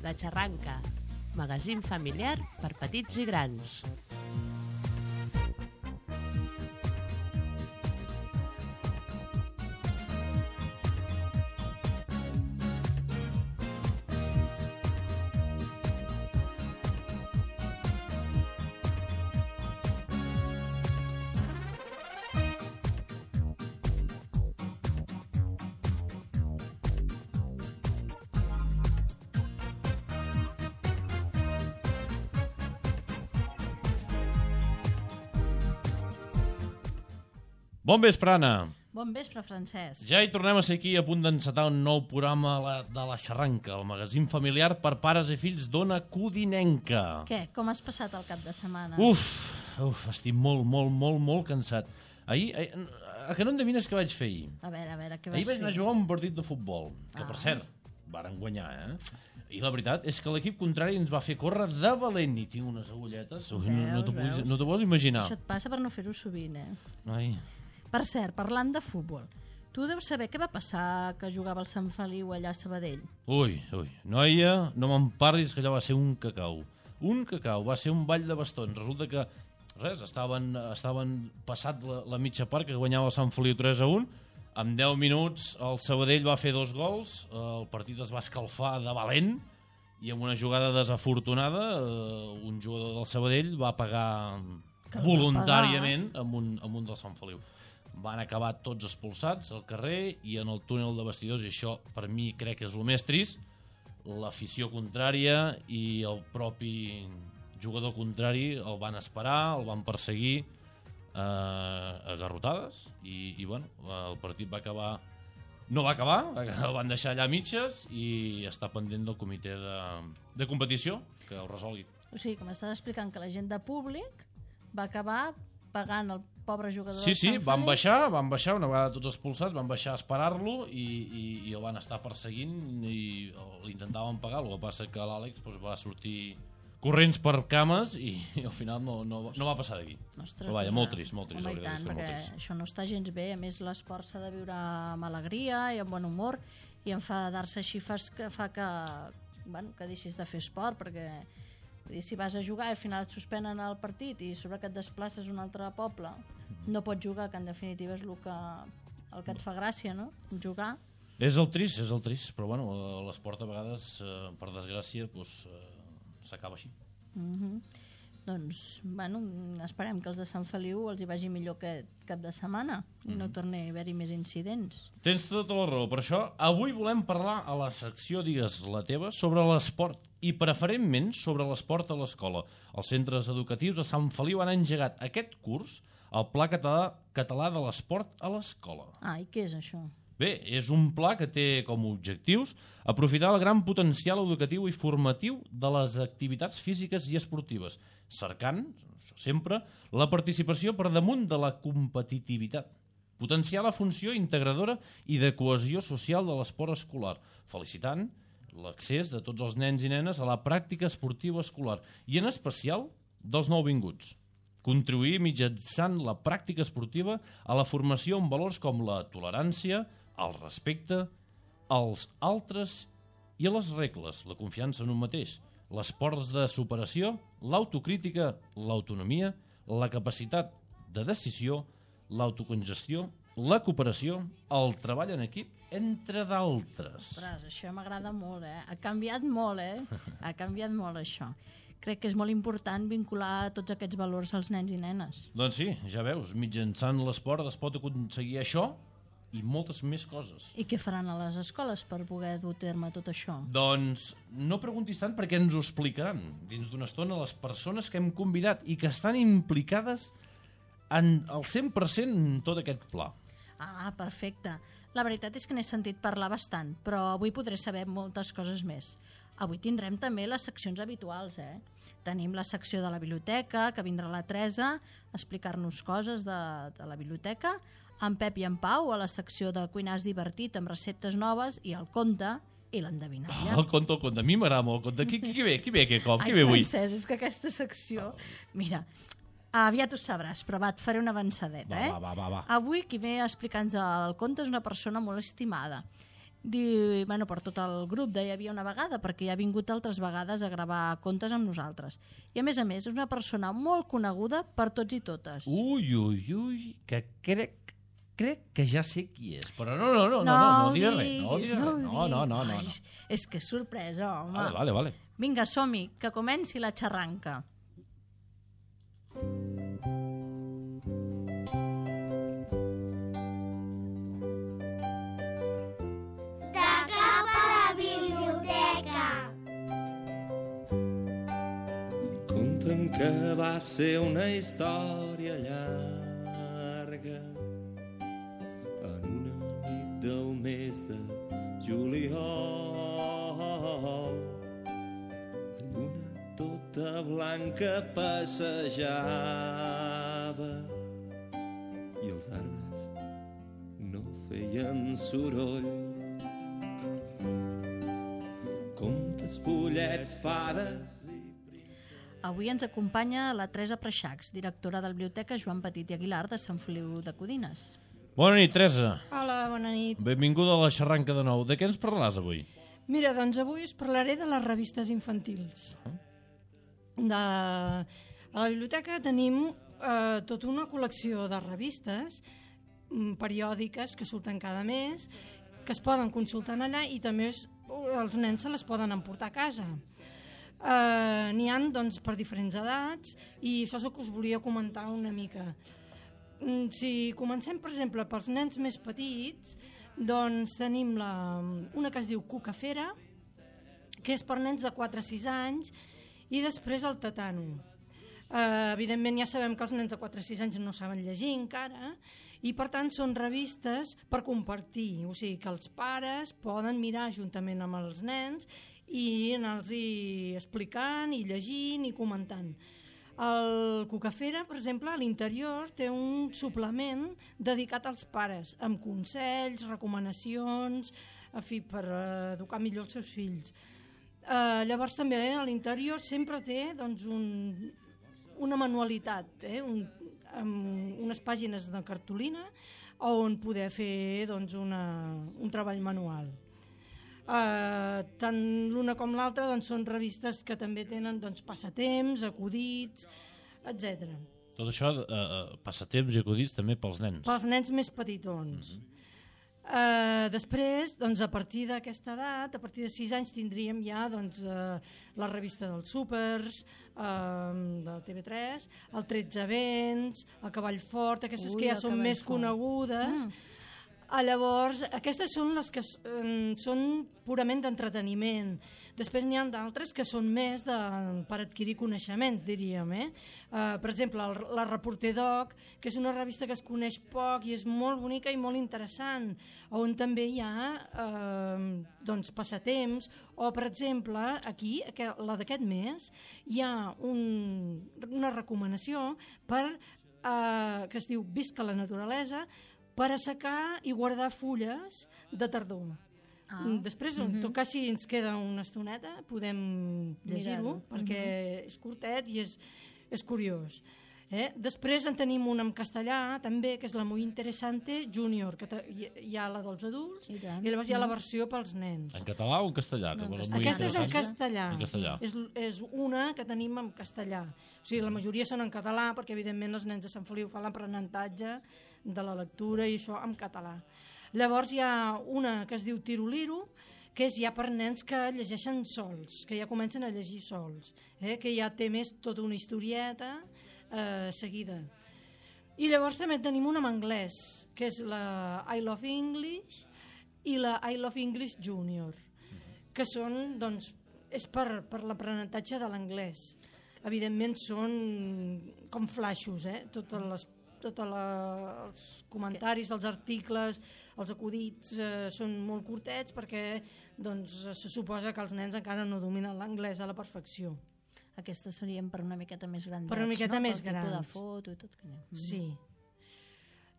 La Xarranca, magazín familiar per petits i grans. Bon vespre, Anna. Bon vespre, Francesc. Ja hi tornem a ser aquí a punt d'encetar un nou programa de La Xarranca, el magazín familiar per pares i fills d'Ona Codinenca. Què? Com has passat el cap de setmana? Uf, estic molt cansat. Ahir, a que no endevines què vaig fer ahir? A veure, què vas fer? Ahir vaig anar a jugar un partit de futbol, que per cert, varen guanyar, I la veritat és que l'equip contrari ens va fer córrer de valent i tinc unes agulletes. No t'ho pots imaginar. Això et passa per no fer-ho sovint, Ai. Per cert, parlant de futbol, tu deus saber què va passar que jugava el Sant Feliu allà a Sabadell. Ui, noia, no me'n parlis, que allò va ser un cacau. Un cacau, va ser un ball de bastons. Resulta que, estaven passat la mitja part, que guanyava el Sant Feliu 3-1. En 10 minuts el Sabadell va fer 2 gols, el partit es va escalfar de valent, i amb una jugada desafortunada, un jugador del Sabadell va pagar voluntàriament amb un del Sant Feliu. Van acabar tots expulsats al carrer i en el túnel de vestidors, i això per mi crec que és el més trist, l'afició contrària i el propi jugador contrari el van esperar, el van perseguir a garrotades i bueno, el partit va acabar, no va acabar, el van deixar allà a mitges i està pendent del comitè de competició que ho resolgui. O sigui, que m'estàs explicant que la gent de públic va acabar pagant el pobre jugador Sí, del Sant Feliu. van baixar una vegada tots expulsats, van baixar a esperar-lo i el van estar perseguint i l'intentaven pagar. El que passa que l'Àlex va sortir corrents per cames i al final no va passar d'aquí. Ostres, però vaja, molt trist. Home, i tant, perquè això no està gens bé. A més, l'esport s'ha de viure amb alegria i amb bon humor, i enfadar-se així fa que deixis de fer esport, perquè si vas a jugar i al final et suspenen el partit i sobre que et desplaces a un altre poble, no pots jugar, que en definitiva és el que et fa gràcia, no? Jugar. És el trist, però bueno, l'esport a vegades, per desgràcia, s'acaba així. Doncs, bueno, esperem que els de Sant Feliu els hi vagi millor que cap de setmana i no torni a haver-hi més incidents. Tens tota la raó. Per això, avui volem parlar a la secció Digues la teva sobre l'esport i preferentment sobre l'esport a l'escola. Els centres educatius de Sant Feliu han engegat aquest curs el Pla Català de l'Esport a l'Escola. I què és això? Bé, és un pla que té com a objectius aprofitar el gran potencial educatiu i formatiu de les activitats físiques i esportives, cercant, sempre, la participació per damunt de la competitivitat, potenciar la funció integradora i de cohesió social de l'esport escolar, felicitant l'accés de tots els nens i nenes a la pràctica esportiva escolar i en especial dels nouvinguts. Contribuir mitjançant la pràctica esportiva a la formació amb valors com la tolerància, el respecte, als altres i a les regles, la confiança en un mateix, les ports de superació, l'autocrítica, l'autonomia, la capacitat de decisió, l'autocongestió, la cooperació, el treball en equip, entre d'altres. Ostres, això m'agrada molt, Ha canviat molt, Ha canviat molt, això. Crec que és molt important vincular tots aquests valors als nens i nenes. Doncs sí, ja veus, mitjançant l'esport es pot aconseguir això i moltes més coses. I què faran a les escoles per poder dur a terme tot això? Doncs no preguntis tant perquè ens ho explicaran dins d'una estona les persones que hem convidat i que estan implicades en el 100% en tot aquest pla. Perfecte. La veritat és que n'he sentit parlar bastant, però avui podré saber moltes coses més. Avui tindrem també les seccions habituals, Tenim la secció de la biblioteca, que vindrà la Teresa a explicar-nos coses de la biblioteca, en Pep i en Pau a la secció de cuinars divertit amb receptes noves i el conte i l'endevinalla. El conte. A mi m'agrada molt el conte. Qui ve aquest cop? Qui ve avui? Francesc, és que aquesta secció... Mira, aviat ho sabràs, però et faré una avançadeta, Va. Avui qui ve a explicar-nos el conte és una persona molt estimada. Diu, bueno, per tot el grup hi havia una vegada, perquè ja ha vingut altres vegades a gravar contes amb nosaltres. I a més, és una persona molt coneguda per tots i totes. Ui, que crec que ja sé qui és, però no diré res. No. Ai, és que és sorpresa, home. Vale. Vinga, som-hi, que comenci la xarranca. De cap a la biblioteca. Conten que va ser una història llarga en una nit del mes de juliol. La lluna tota blanca passejava i els arbres no feien soroll. Contes, pollets, fades... Avui ens acompanya la Teresa Preixacs, directora de la Biblioteca Joan Petit i Aguilar de Sant Feliu de Codines. Bona nit, Teresa. Hola, bona nit. Benvinguda a la xarranca de nou. De què ens parlaràs avui? Mira, doncs avui us parlaré de les revistes infantils. A la biblioteca tenim tota una col·lecció de revistes periòdiques que surten cada mes, que es poden consultar allà i també els nens se les poden emportar a casa. N'hi ha doncs, per diferents edats i això és el que us volia comentar una mica. Si comencem, per exemple, pels nens més petits, doncs tenim una que es diu Cucafera, que és per nens de 4 a 6 anys, i després el Tatano. Evidentment ja sabem que els nens de 4 a 6 anys no saben llegir encara, i per tant són revistes per compartir, o sigui que els pares poden mirar juntament amb els nens i anar-los explicant i llegint i comentant. El Cucafera, per exemple, a l'interior té un suplement dedicat als pares, amb consells, recomanacions, en fi, per educar millor els seus fills. Llavors també a l'interior sempre té doncs, una manualitat, amb unes pàgines de cartolina on poder fer doncs, un treball manual. Tant l'una com l'altra doncs, són revistes que també tenen doncs, passatemps, acudits, etc. Tot això, passatemps i acudits també pels nens. Pels nens més petitons. Després, doncs, a partir d'aquesta edat, a partir de 6 anys tindríem ja doncs, la revista dels súpers, de TV3, el 13 vents, el Cavall Fort, aquestes que ja són més conegudes. Llavors, aquestes són les que són purament d'entreteniment. Després n'hi ha d'altres que són més per adquirir coneixements, diríem. Per exemple, la Reporter Doc, que és una revista que es coneix poc i és molt bonica i molt interessant, on també hi ha doncs, passatemps, o per exemple, aquí, la d'aquest mes, hi ha una recomanació que es diu Visca la naturalesa, per assecar i guardar fulles de tardor. Després, en tot cas, si ens queda una estoneta, podem llegir-ho, perquè és curtet i és curiós. Després en tenim un en castellà, també, que és la Muy Interesante Junior, que hi ha la dels adults, i llavors hi ha la versió pels nens. En català o en castellà? Aquesta és en castellà. En castellà. És una que tenim en castellà. O sigui, la majoria són en català, perquè evidentment els nens de Sant Feliu fan l'aprenentatge de la lectura i això en català. Llavors hi ha una que es diu Tiroliro, que és ja per nens que llegeixen sols, que ja comencen a llegir sols, que ja té més tota una historieta seguida. I llavors també tenim una en anglès, que és la I Love English i la I Love English Junior, que són, doncs, és per l'aprenentatge de l'anglès. Evidentment són com flaixos, tots els comentaris, els articles, els acudits són molt curtets perquè doncs, se suposa que els nens encara no dominen l'anglès a la perfecció. Aquestes serien per una miqueta més grans. Per una miqueta més grans. Pel tipus de foto i tot. Sí.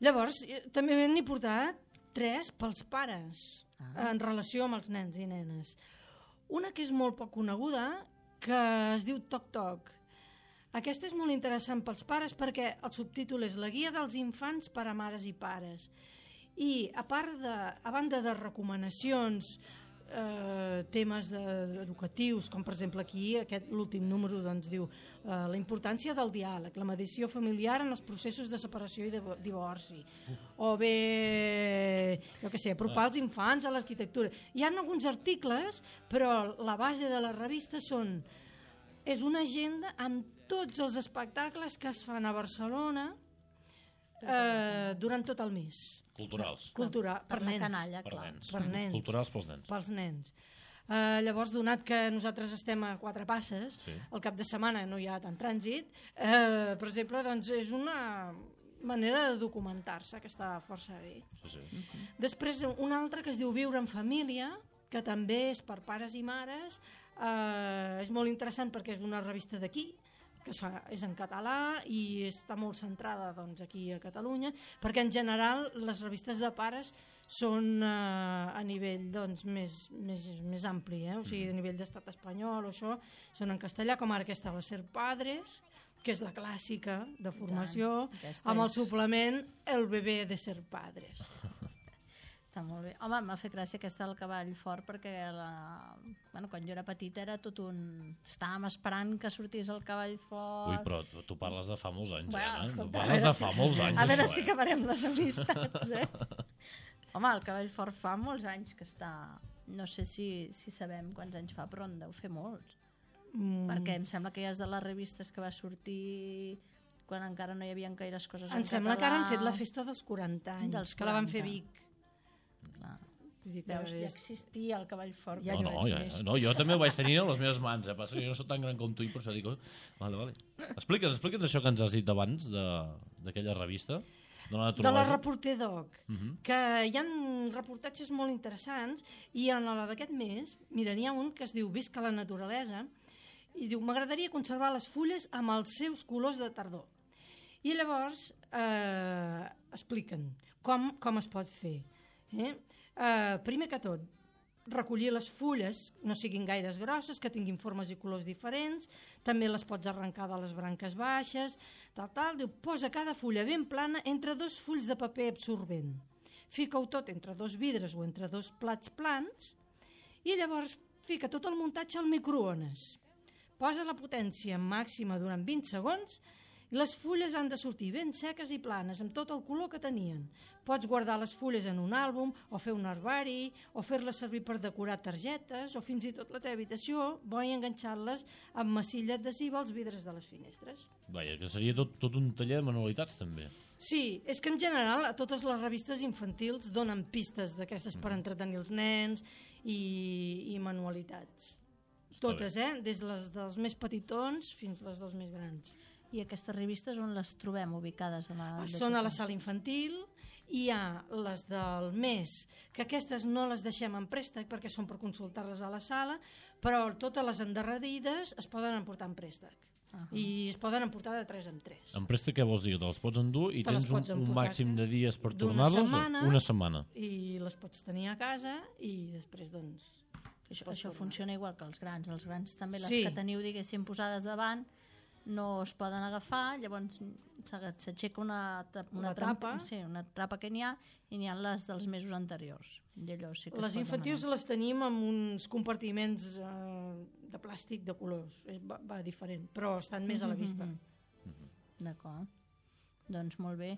Llavors, també n'he portat 3 pels pares en relació amb els nens i nenes. Una que és molt poc coneguda, que es diu Toc Toc. Aquesta és molt interessant pels pares perquè el subtítol és La guia dels infants per a mares i pares. I a banda de recomanacions, temes educatius, com per exemple aquí l'últim número doncs, diu la importància del diàleg, la mediació familiar en els processos de separació i de divorci, o bé jo què sé, apropar els infants a l'arquitectura. Hi ha alguns articles, però la base de la revista és una agenda amb tots els espectacles que es fan a Barcelona durant tot el mes. Culturals. Per nens. Canalla, clar. Per nens. Culturals pels nens. Pels nens. Llavors, donat que nosaltres estem a 4 passes, el cap de setmana no hi ha tant trànsit, per exemple, doncs és una manera de documentar-se que està força bé. Sí. Després, una altra que es diu Viure en família, que també és per pares i mares, és molt interessant perquè és una revista d'aquí, que és en català i està molt centrada doncs, aquí a Catalunya, perquè en general les revistes de pares són a nivell doncs, més ampli, o sigui, a nivell d'estat espanyol o això, són en castellà, com ara aquesta La Ser Padres, que és la clàssica de formació, amb el suplement El bebé de ser padres. Està molt bé. Home, m'ha fet gràcia aquesta del cavall fort perquè quan jo era petita era tot un... Estàvem esperant que sortís el cavall fort... Ui, però tu parles de fa molts anys, bueno, Tu parles de fa molts anys, a veure si acabarem les amistats, Home, el cavall fort fa molts anys que està... No sé si sabem quants anys fa, però en deu fer molts. Perquè em sembla que ja és de les revistes que va sortir quan encara no hi havia gaires coses en català. Em sembla que ara han fet la festa dels 40 anys, que la van fer a Vic. Clar. Veus, ja existia el cavall fort. No, jo també ho vaig tenir a les meves mans, passa que jo no soc tan gran com tu i per això dic, vale. Explica'ns això que ens has dit abans d'aquella revista de la Reporter Doc, que hi ha reportatges molt interessants i en la d'aquest mes, mira, n'hi ha un que es diu Visca la naturalesa i diu, m'agradaria conservar les fulles amb els seus colors de tardor. I llavors expliquen com es pot fer. Primer que tot, recollir les fulles no siguin gaires grosses, que tinguin formes i colors diferents, també les pots arrencar de les branques baixes, diu, posa cada fulla ben plana entre 2 fulls de paper absorbent, fica-ho tot entre 2 vidres o entre 2 plats plans i llavors fica tot el muntatge al microones, posa la potència màxima durant 20 segons i les fulles han de sortir ben seques i planes, amb tot el color que tenien. Pots guardar les fulles en un àlbum, o fer un herbari, o fer-les servir per decorar targetes, o fins i tot la teva habitació, bo i enganxar-les amb massilla adhesiva als vidres de les finestres. Vaja, que seria tot un taller de manualitats, també. Sí, és que en general a totes les revistes infantils donen pistes d'aquestes per entretenir els nens i manualitats. Totes, des dels més petitons fins les dels més grans. I aquestes revistes on les trobem ubicades? Són a la sala infantil, hi ha les del mes, que aquestes no les deixem en préstec perquè són per consultar-les a la sala, però totes les endarrerides es poden emportar en préstec. I es poden emportar de 3 en 3. En préstec què vols dir? Te les pots endur i tens un màxim de dies per tornar-les? Una setmana. I les pots tenir a casa i després doncs... Això funciona igual que els grans. Els grans també, les que teniu diguéssim posades davant, no es poden agafar, llavors s'aixeca una trapa que n'hi ha i n'hi ha les dels mesos anteriors. Les infantils les tenim amb uns compartiments de plàstic de colors, va diferent, però estan més a la vista. D'acord, doncs molt bé.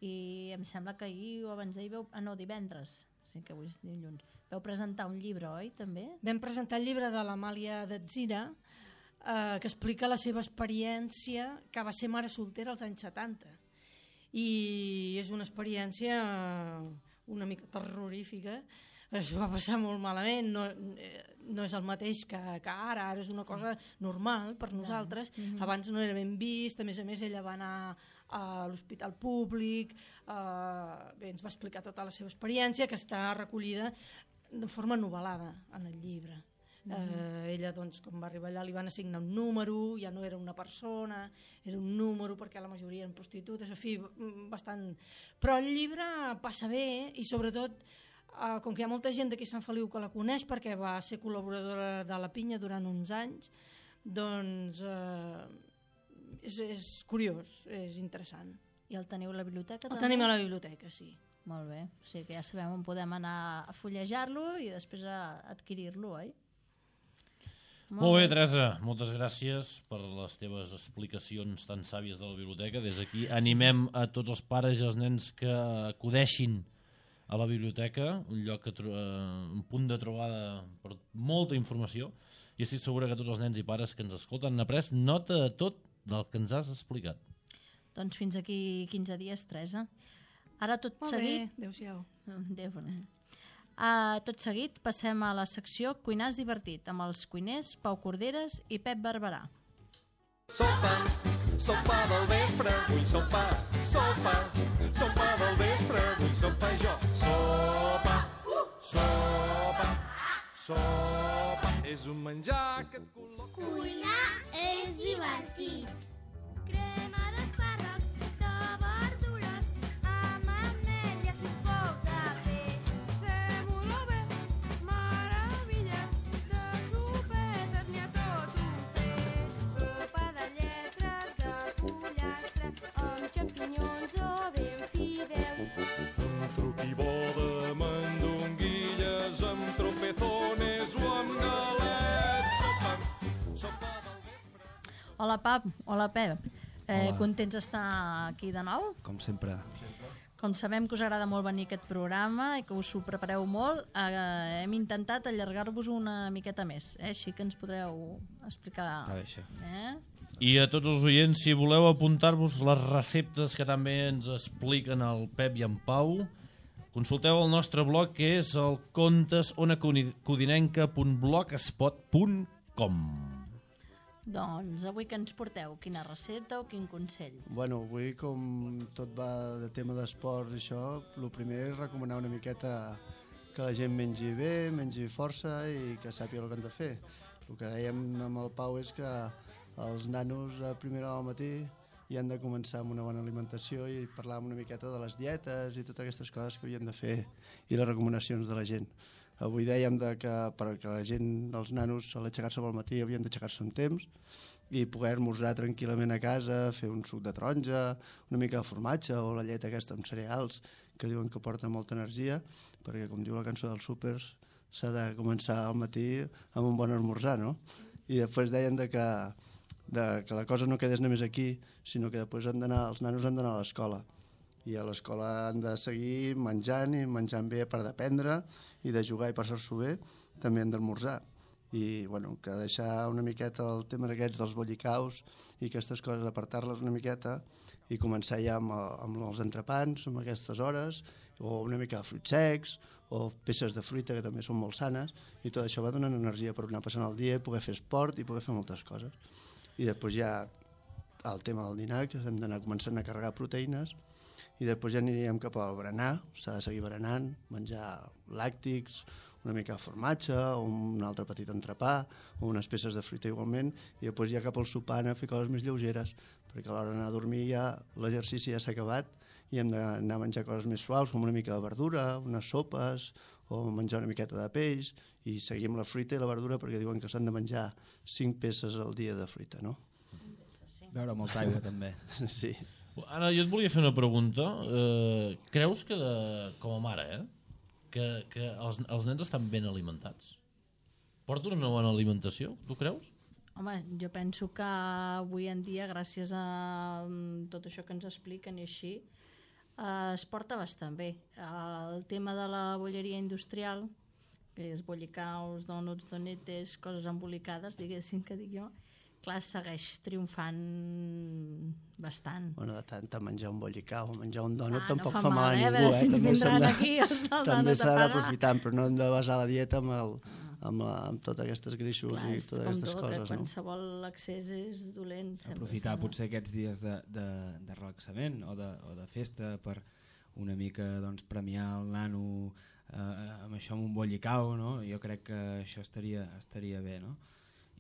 I em sembla que ahir o abans d'ahir divendres, sí que avui és dilluns, vau presentar un llibre, oi, també? Vam presentar el llibre de l'Amàlia Datzira, que explica la seva experiència, que va ser mare soltera als anys 70. I és una experiència una mica terrorífica. Es va passar molt malament, no és el mateix que ara és una cosa normal per nosaltres. Abans no era ben vist, a més ella va anar a l'hospital públic, ens va explicar tota la seva experiència, que està recollida de forma novel·lada en el llibre. Ella, doncs, quan va arribar allà li van assignar un número, ja no era una persona, era un número perquè la majoria eren prostitutes, en fi, bastant... Però el llibre passa bé i sobretot, com que hi ha molta gent d'aquí a Sant Feliu que la coneix perquè va ser col·laboradora de La Pinya durant uns anys, doncs és curiós, és interessant. I el teniu a la biblioteca? El tenim a la biblioteca, sí. Molt bé, o sigui que ja sabem on podem anar a fullejar-lo i després a adquirir-lo, oi? Molt bé, Teresa, moltes gràcies per les teves explicacions tan sàvies de la biblioteca. Des d'aquí animem a tots els pares i els nens que acudeixin a la biblioteca, un lloc un punt de trobada per molta informació, i estic segura que tots els nens i pares que ens escolten han après nota de tot del que ens has explicat. Doncs fins aquí 15 dies, Teresa. Ara tot Molt seguit... bé, adéu-siau. Tot seguit passem a la secció Cuinars Divertit amb els cuiners Pau Corderes i Pep Barberà. Sopa, sopa del vespre, vull sopa, sopa, sopa del vespre, vull sopa jo. Sopa, sopa, sopa, és un menjar que et col·loca. Cuinar és divertit. Crema d'espàrrecs, de verdures, amb ametlles i poc de peix. Sèmola bé, meravelles, de sopetes n'hi ha tot un feix. Sopa de lletres, de pollastre, amb xampinyons o ben fideus. Amb truqui bo de mandonguilles, amb tropezones o amb galets. Sopa, sopa del vespre. Hola, hola, Pep. Hola. Contents d'estar aquí de nou? Com sempre. Com sabem que us agrada molt venir a aquest programa i que us ho prepareu molt, hem intentat allargar-vos una miqueta més, així que ens podreu explicar. Està bé, això. I a tots els oients, si voleu apuntar-vos les receptes que també ens expliquen el Pep i en Pau, consulteu el nostre blog, que és el contesonacodinenca.blogspot.com. Doncs avui que ens porteu? Quina recepta o quin consell? Bueno, avui com tot va de tema d'esports i això, el primer és recomanar una miqueta que la gent mengi bé, mengi força i que sàpiga el que han de fer. El que dèiem amb el Pau és que els nanos a primera hora del matí hi han de començar amb una bona alimentació i parlar una miqueta de les dietes i totes aquestes coses que havien de fer i les recomanacions de la gent. Avui dèiem que perquè la gent, els nanos, a l'aixecar-se al matí havien d'aixecar-se amb temps i poder esmorzar tranquil·lament a casa, fer un suc de taronja, una mica de formatge o la llet aquesta amb cereals, que diuen que porta molta energia, perquè, com diu la cançó dels súpers, s'ha de començar al matí amb un bon esmorzar, no? I després deien que la cosa no quedés només aquí, sinó que després els nanos han d'anar a l'escola. I a l'escola han de seguir menjant i menjant bé per d'aprendre i de jugar i passar-s'ho bé, també han d'esmorzar. I bueno, que deixar una miqueta el tema d'aquests dels bollicaus i aquestes coses, apartar-les una miqueta i començar ja amb els entrepans, amb aquestes hores, o una mica de fruits secs, o peces de fruita que també són molt sanes, i tot això va donant energia per anar passant el dia, poder fer esport i poder fer moltes coses. I després ja el tema del dinar, que hem d'anar començant a carregar proteïnes, i després ja aniríem cap al berenar, s'ha de seguir berenant, menjar làctics, una mica de formatge, o un altre petit entrepà, o unes peces de fruita igualment, i després ja cap al sopar anar a fer coses més lleugeres, perquè a l'hora d'anar a dormir ja l'exercici ja s'ha acabat i hem d'anar a menjar coses més suaus, com una mica de verdura, unes sopes, o menjar una miqueta de peix, i seguir amb la fruita i la verdura, perquè diuen que s'han de menjar 5 peces al dia de fruita, no? Beure molta aigua, també. Sí. Ara, jo et volia fer una pregunta. Creus que, com a mare, que els nens estan ben alimentats? Porten una bona alimentació, tu creus? Home, jo penso que avui en dia, gràcies a tot això que ens expliquen i així, es porta bastant bé. El tema de la bolleria industrial, que és bollicaus, donuts, donetes, coses embolicades, diguéssim que dic jo, clar, segueix triomfant bastant. Bueno, de tant a menjar un bollicau o menjar un dònut no tampoc fa fa mal a mal, ningú. a veure si ens També vindran aquí els del també dònut a s'ha pagar. d'aprofitar, però no hem de basar la dieta amb totes aquestes greixos Clar, i és totes com aquestes tot, coses. qualsevol excés és dolent. Aprofitar potser aquests dies de relaxament o de festa per una mica doncs, premiar el nano amb això, amb un bollicau, no? Jo crec que això estaria bé, no?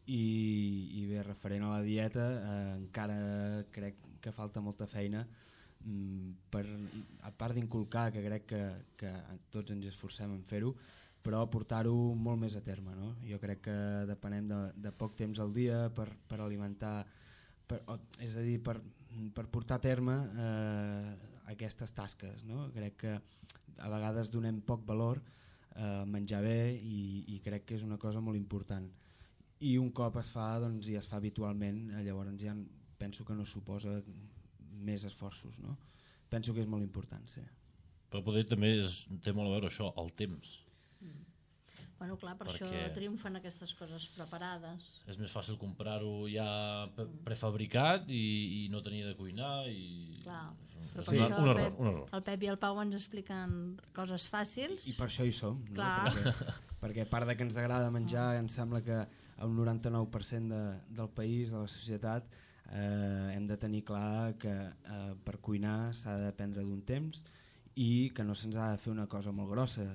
I bé, referent a la dieta, encara crec que falta molta feina a part d'inculcar, que crec que tots ens esforcem en fer-ho, però portar-ho molt més a terme, no? Jo crec que depenem de poc temps al dia per alimentar, és a dir, per portar a terme aquestes tasques, no? Crec que a vegades donem poc valor a menjar bé i crec que és una cosa molt important. I un cop es fa, doncs, i es fa habitualment, llavors ja penso que no suposa més esforços, no? Penso que és molt important, sí. Però poder també té molt a veure això, el temps. Bueno, clar, per Perquè això triomfen aquestes coses preparades. És més fàcil comprar-ho ja prefabricat i no tenir de cuinar i... Clar, és però per això un error. El Pep i el Pau ens expliquen coses fàcils. I per això hi som, no? Clar. Perquè a part de que ens agrada menjar, em sembla que un 99% del país, de la societat, hem de tenir clar que per cuinar s'ha de prendre d'un temps i que no se'ns ha de fer una cosa molt grossa.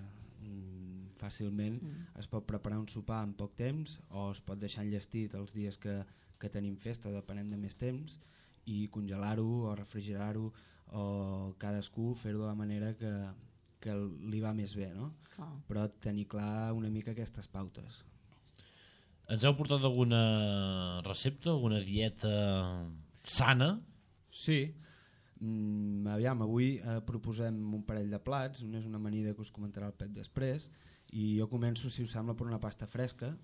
Fàcilment es pot preparar un sopar en poc temps o es pot deixar enllestit els dies que tenim festa, depenent de més temps, i congelar-ho o refrigerar-ho o cadascú fer-ho de la manera que li va més bé, no? Però tenir clar una mica aquestes pautes. Ens heu portat alguna recepta, alguna dieta sana? Sí. Aviam, avui proposem un parell de plats, un és una amanida que us comentarà el Pep després, i jo començo, si us sembla, per una pasta fresca,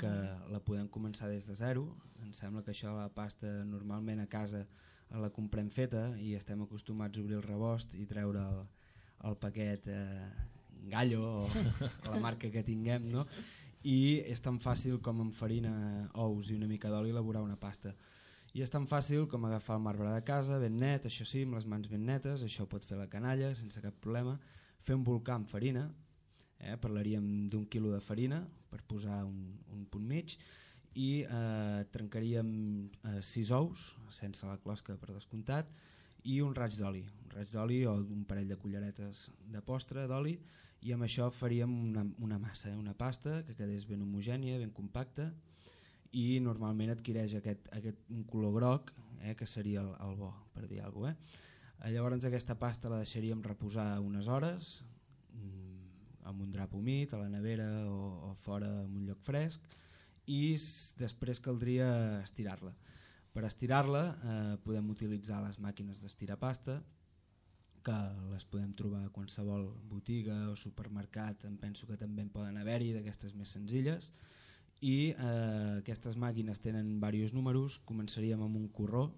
que la podem començar des de zero. Em sembla que això, la pasta, normalment a casa la comprem feta i estem acostumats a obrir el rebost i treure el paquet Gallo o la marca que tinguem, no? I és tan fàcil com amb farina, ous i una mica d'oli elaborar una pasta. I és tan fàcil com agafar el marbre de casa ben net, això sí, amb les mans ben netes, això pot fer la canalla sense cap problema, fer un volcà amb farina, parlaríem d'un quilo de farina per posar un punt mig, i trencaríem 6 ous sense la closca per descomptat i un raig d'oli o un parell de culleretes de postre d'oli, i amb això faríem una massa, una pasta que quedés ben homogènia, ben compacta, i normalment adquireix un color groc, que seria el bo, per dir alguna cosa. Llavors aquesta pasta la deixaríem reposar unes hores amb un drap humit a la nevera o fora en un lloc fresc, i després caldria estirar-la. Per estirar-la podem utilitzar les màquines d'estirar pasta, que les podem trobar a qualsevol botiga o supermercat, em penso que també en poden haver-hi d'aquestes més senzilles, i aquestes màquines tenen diversos números. Començaríem amb un corró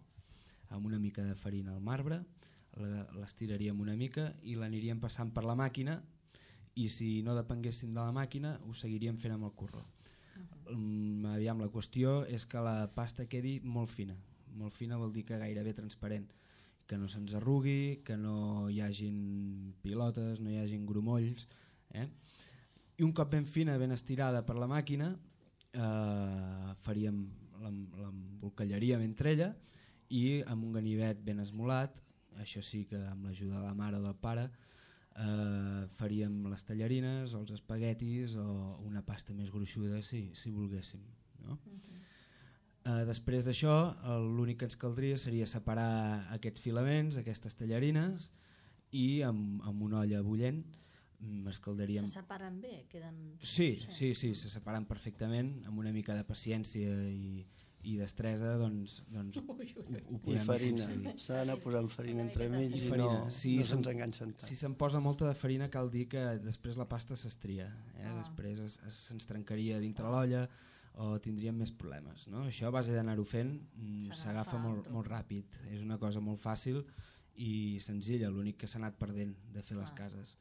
amb una mica de farina al marbre, l'estiraríem una mica i l'aniríem passant per la màquina, i si no depenguéssim de la màquina ho seguiríem fent amb el corró. Aviam, la qüestió és que la pasta quedi molt fina. Molt fina vol dir que gairebé transparent, que no se'ns arrugui, que no hi hagin pilotes, no hi hagin grumolls, i un cop ben fina, ben estirada per la màquina, l'embolcallaríem entre ella i amb un ganivet ben esmolat, això sí que amb l'ajuda de la mare o del pare, faríem les tallarines o els espaguetis o una pasta més gruixuda si volguéssim, no? Després d'això l'únic que ens caldria seria separar aquests filaments, aquestes tallarines, i amb una olla bullent escaldaríem... Se separen bé? Sí, se separen perfectament, amb una mica de paciència i destresa, doncs ho podem... I farina, s'ha d'anar posant farina entremig i no se'ns enganxen tant. Si se'n posa molta de farina cal dir que després la pasta s'estria, després se'ns trencaria dintre l'olla o tindríem més problemes, no? Això a base d'anar-ho fent s'agafa molt ràpid, és una cosa molt fàcil i senzilla, l'únic que s'ha anat perdent de fer les cases.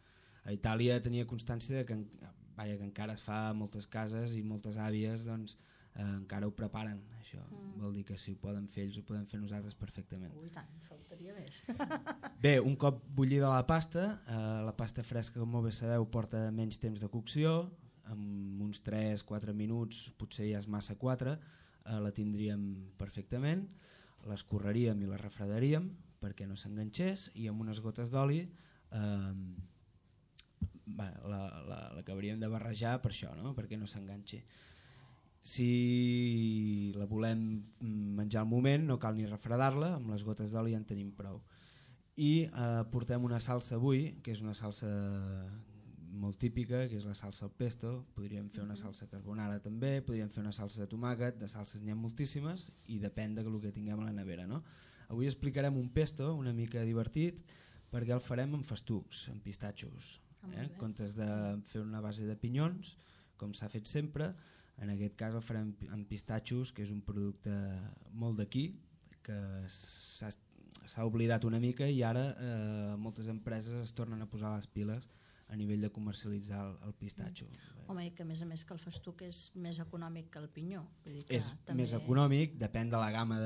A Itàlia tenia constància que encara es fa a moltes cases i moltes àvies doncs encara ho preparen, això. Vol dir que si ho poden fer ells ho podem fer nosaltres perfectament. Ui, tant, faltaria més. Bé, un cop bullida la pasta fresca, com molt bé sabeu, porta menys temps de cocció, amb uns 3-4 minuts, potser ja és massa 4, la tindríem perfectament, l'escorreríem i la refredaríem perquè no s'enganxés, i amb unes gotes d'oli l'acabaríem de barrejar per això, no? Perquè no s'enganxi. Si la volem menjar al moment no cal ni refredar-la, amb les gotes d'oli ja en tenim prou. I portem una salsa avui, que és una salsa molt típica, que és la salsa al pesto. Podríem fer una salsa carbonara també, podríem fer una salsa de tomàquet, de salses n'hi ha moltíssimes i depèn del que tinguem a la nevera, no? Avui explicarem un pesto una mica divertit perquè el farem amb festucs, amb pistatxos. En comptes de fer una base de pinyons, com s'ha fet sempre, en aquest cas el farem amb pistatxos, que és un producte molt d'aquí, que s'ha oblidat una mica i ara moltes empreses es tornen a posar les piles a nivell de comercialitzar el pistatxo. Home, i que a més que el festuc és més econòmic que el pinyó. Vull dir que És també... més econòmic, depèn de la gamma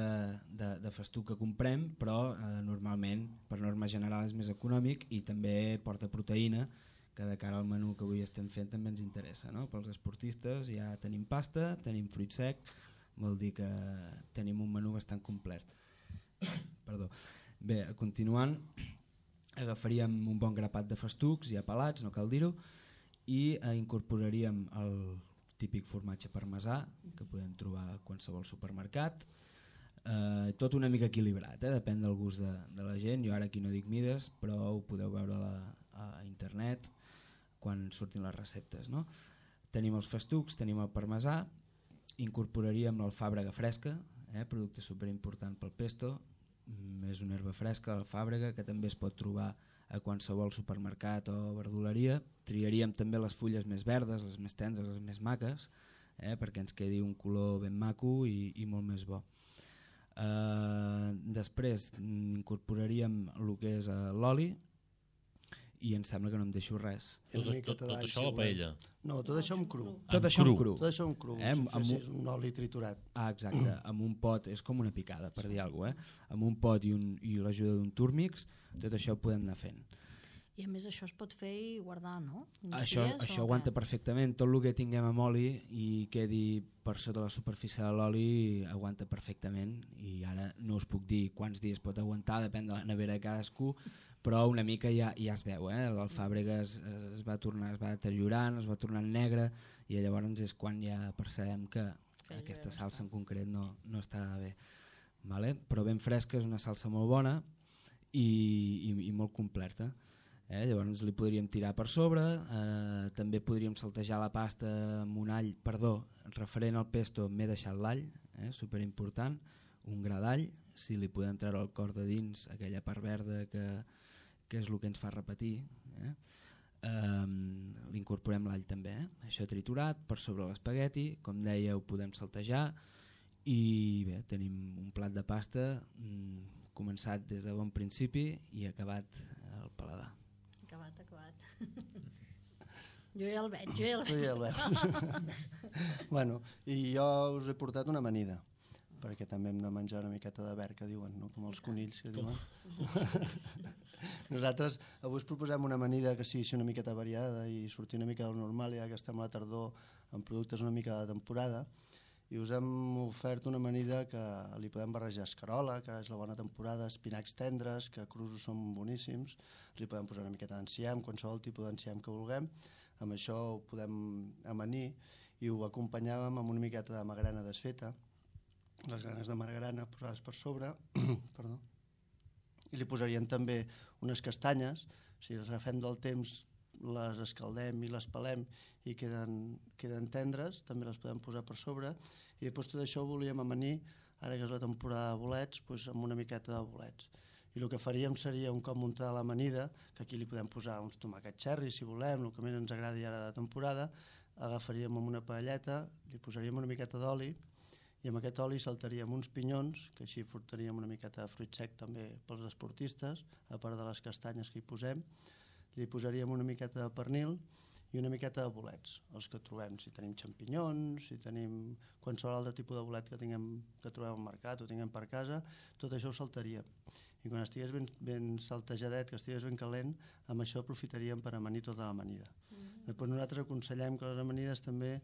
de festuc que comprem, però normalment, per norma general, és més econòmic i també porta proteïna, que de cara al menú que avui estem fent també ens interessa, no? Pels esportistes ja tenim pasta, tenim fruit sec, vol dir que tenim un menú bastant complet. Perdó. Bé, continuant, agafaríem un bon grapat de festucs ja pelats, no cal dir-ho, i incorporaríem el típic formatge parmesà que podem trobar a qualsevol supermercat, tot una mica equilibrat, depèn del gust de la gent. Jo ara aquí no dic mides, però ho podeu veure a internet quan surtin les receptes, no? Tenim els festucs, tenim el parmesà, incorporaríem l'alfàbrega fresca, producte superimportant pel pesto. És una herba fresca, l'alfàbrega, que també es pot trobar a qualsevol supermercat o verduleria. Triaríem també les fulles més verdes, les més tendres, les més maques, perquè ens quedi un color ben maco i molt més bo. Després incorporaríem el que és l'oli, i em sembla que no em deixo res. Tot això a la paella? No, tot això amb cru. Tot això amb cru. Tot això amb cru, és un oli triturat. Exacte, amb un pot, és com una picada, per dir alguna cosa. Amb un pot i l'ajuda d'un túrmix, tot això ho podem anar fent. I a més això es pot fer i guardar, no? Això aguanta perfectament. Tot el que tinguem amb oli i quedi per sota la superfície de l'oli aguanta perfectament, i ara no us puc dir quants dies pot aguantar, depèn de la nevera de cadascú, però una mica ja es veu, l'alfàbrega es va deteriorant, es va tornant negre, i llavors és quan ja percebem que aquesta salsa en concret no està bé. Però ben fresca, és una salsa molt bona i molt completa. Llavors li podríem tirar per sobre, també podríem saltejar la pasta amb un all, referent al pesto m'he deixat l'all, superimportant, un gra d'all, si li podem treure el cor de dins, aquella part verda que és el que ens fa repetir, l'incorporem l'all també, això triturat per sobre l'espagueti, com deia ho podem saltejar, i bé, tenim un plat de pasta començat des de bon principi i acabat al paladar. Acabat. Jo ja el veig. Bueno, i jo us he portat una amanida, perquè també hem de menjar una miqueta de verd, que diuen, no? Com els conills que diuen. Nosaltres avui us proposem una amanida que sigui una miqueta variada i sortir una mica del normal, ja que estem a la tardor amb productes una mica de temporada, i us hem ofert una amanida que li podem barrejar escarola, que és la bona temporada, espinacs tendres, que crus són boníssims, li podem posar una miqueta d'enciam, qualsevol tipus d'enciam que vulguem. Amb això ho podem amanir i ho acompanyàvem amb una miqueta de magrana desfeta, les granes de magrana posades per sobre, perdó, i li posaríem també unes castanyes, si les agafem del temps les escaldem i les pelem i queden tendres, també les podem posar per sobre, i després tot això ho volíem amanir, ara que és la temporada de bolets, amb una miqueta de bolets. I el que faríem seria, un cop muntada l'amanida, que aquí li podem posar uns tomàquets cherry si volem, el que més ens agradi ara de temporada, agafaríem amb una paelleta, li posaríem una miqueta d'oli, i amb aquest oli saltaríem uns pinyons, que així furtaríem una miqueta de fruit sec també pels esportistes, a part de les castanyes que hi posem. Li posaríem una miqueta de pernil i una miqueta de bolets, els que trobem, si tenim xampinyons, si tenim qualsevol altre tipus de bolet que trobem al mercat o tinguem per casa, tot això ho saltaríem. I quan estigués ben saltejadet, que estigués ben calent, amb això aprofitaríem per amanir tota l'amanida. Després nosaltres aconsellem que les amanides també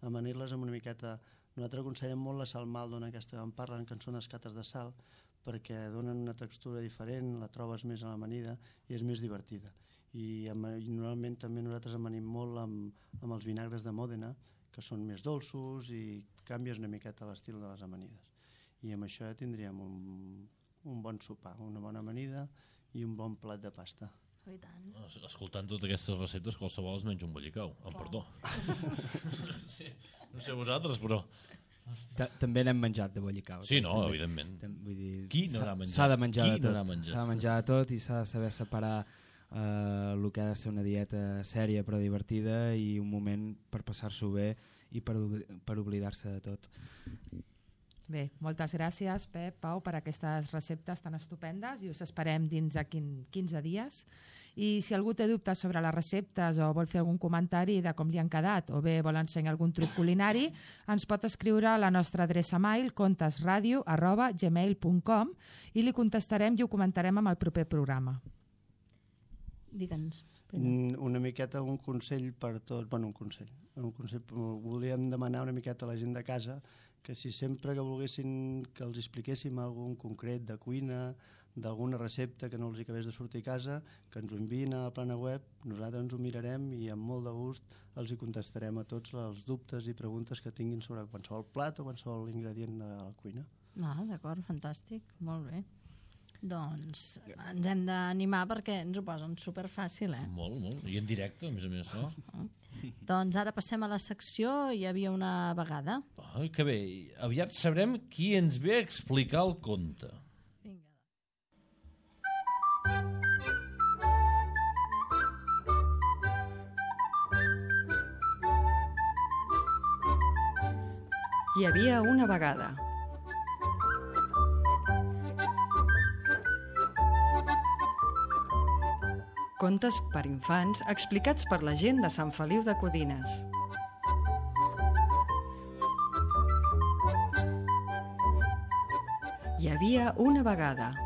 amanir-les amb una miqueta. Nosaltres aconsellem molt la sal maldona, aquesta que en parlen, que són escates de sal, perquè donen una textura diferent, la trobes més a l'amanida i és més divertida. I normalment també nosaltres amanim molt amb els vinagres de Mòdena, que són més dolços i canvies una miqueta l'estil de les amanides. I amb això ja tindríem un bon sopar, una bona amanida i un bon plat de pasta. Oh, i tant. Escoltant totes aquestes receptes, qualsevol es menja un bollicau, amb perdó. No sé vosaltres, però També n'hem menjat de bollicau. Sí, no, evidentment. Vull dir, Qui no n'ha menjat? S'ha de menjar Qui de tot. no n'ha menjat? S'ha de menjar de tot i s'ha de saber separar el que ha de ser una dieta sèria però divertida i un moment per passar-s'ho bé i per oblidar-se de tot. Bé, moltes gràcies, Pep, Pau, per aquestes receptes tan estupendes i us esperem dins de 15 dies. I si algú té dubtes sobre les receptes o vol fer algun comentari de com li han quedat o bé vol ensenyar algun truc culinari, ens pot escriure a la nostra adreça mail contesradio@gmail.com i li contestarem i ho comentarem amb el proper programa. Digue'ns. Una miqueta un consell per tots, un consell. Volíem demanar una miqueta a la gent de casa que si sempre que volguessin que els expliquéssim algun concret de cuina, d'alguna recepta que no els acabés de sortir a casa, que ens ho enviïn a la plana web, nosaltres ens ho mirarem i amb molt de gust els hi contestarem a tots els dubtes i preguntes que tinguin sobre qualsevol plat o qualsevol ingredient de la cuina. D'acord, fantàstic, molt bé. Doncs ens hem d'animar perquè ens ho posen superfàcil, Molt, i en directe, a més, no? Doncs ara passem a la secció Hi havia una vegada. Que bé, aviat sabrem qui ens ve a explicar el conte. Hi havia una vegada. Contes per infants explicats per la gent de Sant Feliu de Codines. Hi havia una vegada.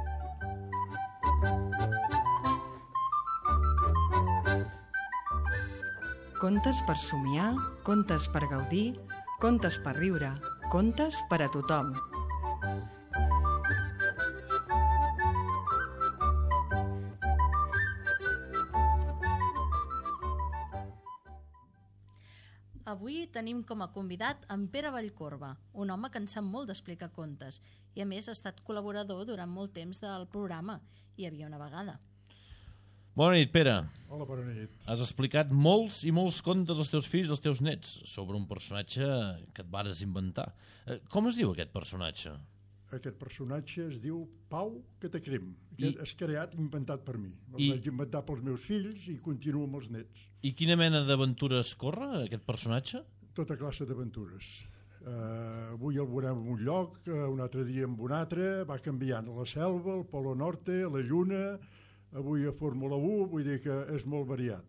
Contes per somiar, contes per gaudir, contes per riure, contes per a tothom. Avui tenim com a convidat en Pere Vallcorba, un home que en sap molt d'explicar contes i a més ha estat col·laborador durant molt temps del programa Hi havia una vegada. Bona nit, Pere. Hola, bona nit. Has explicat molts i molts contes als teus fills i als teus nets sobre un personatge que et vares inventar. Com es diu aquest personatge? Aquest personatge es diu Pau Catacrim. És creat, inventat per mi. El vaig inventar pels meus fills i continuo amb els nets. I quina mena d'aventures corre, aquest personatge? Tota classe d'aventures. Avui el veurem en un lloc, un altre dia en un altre, va canviant a la selva, al Polo Norte, a la Lluna, avui a Fórmula 1, vull dir que és molt variat.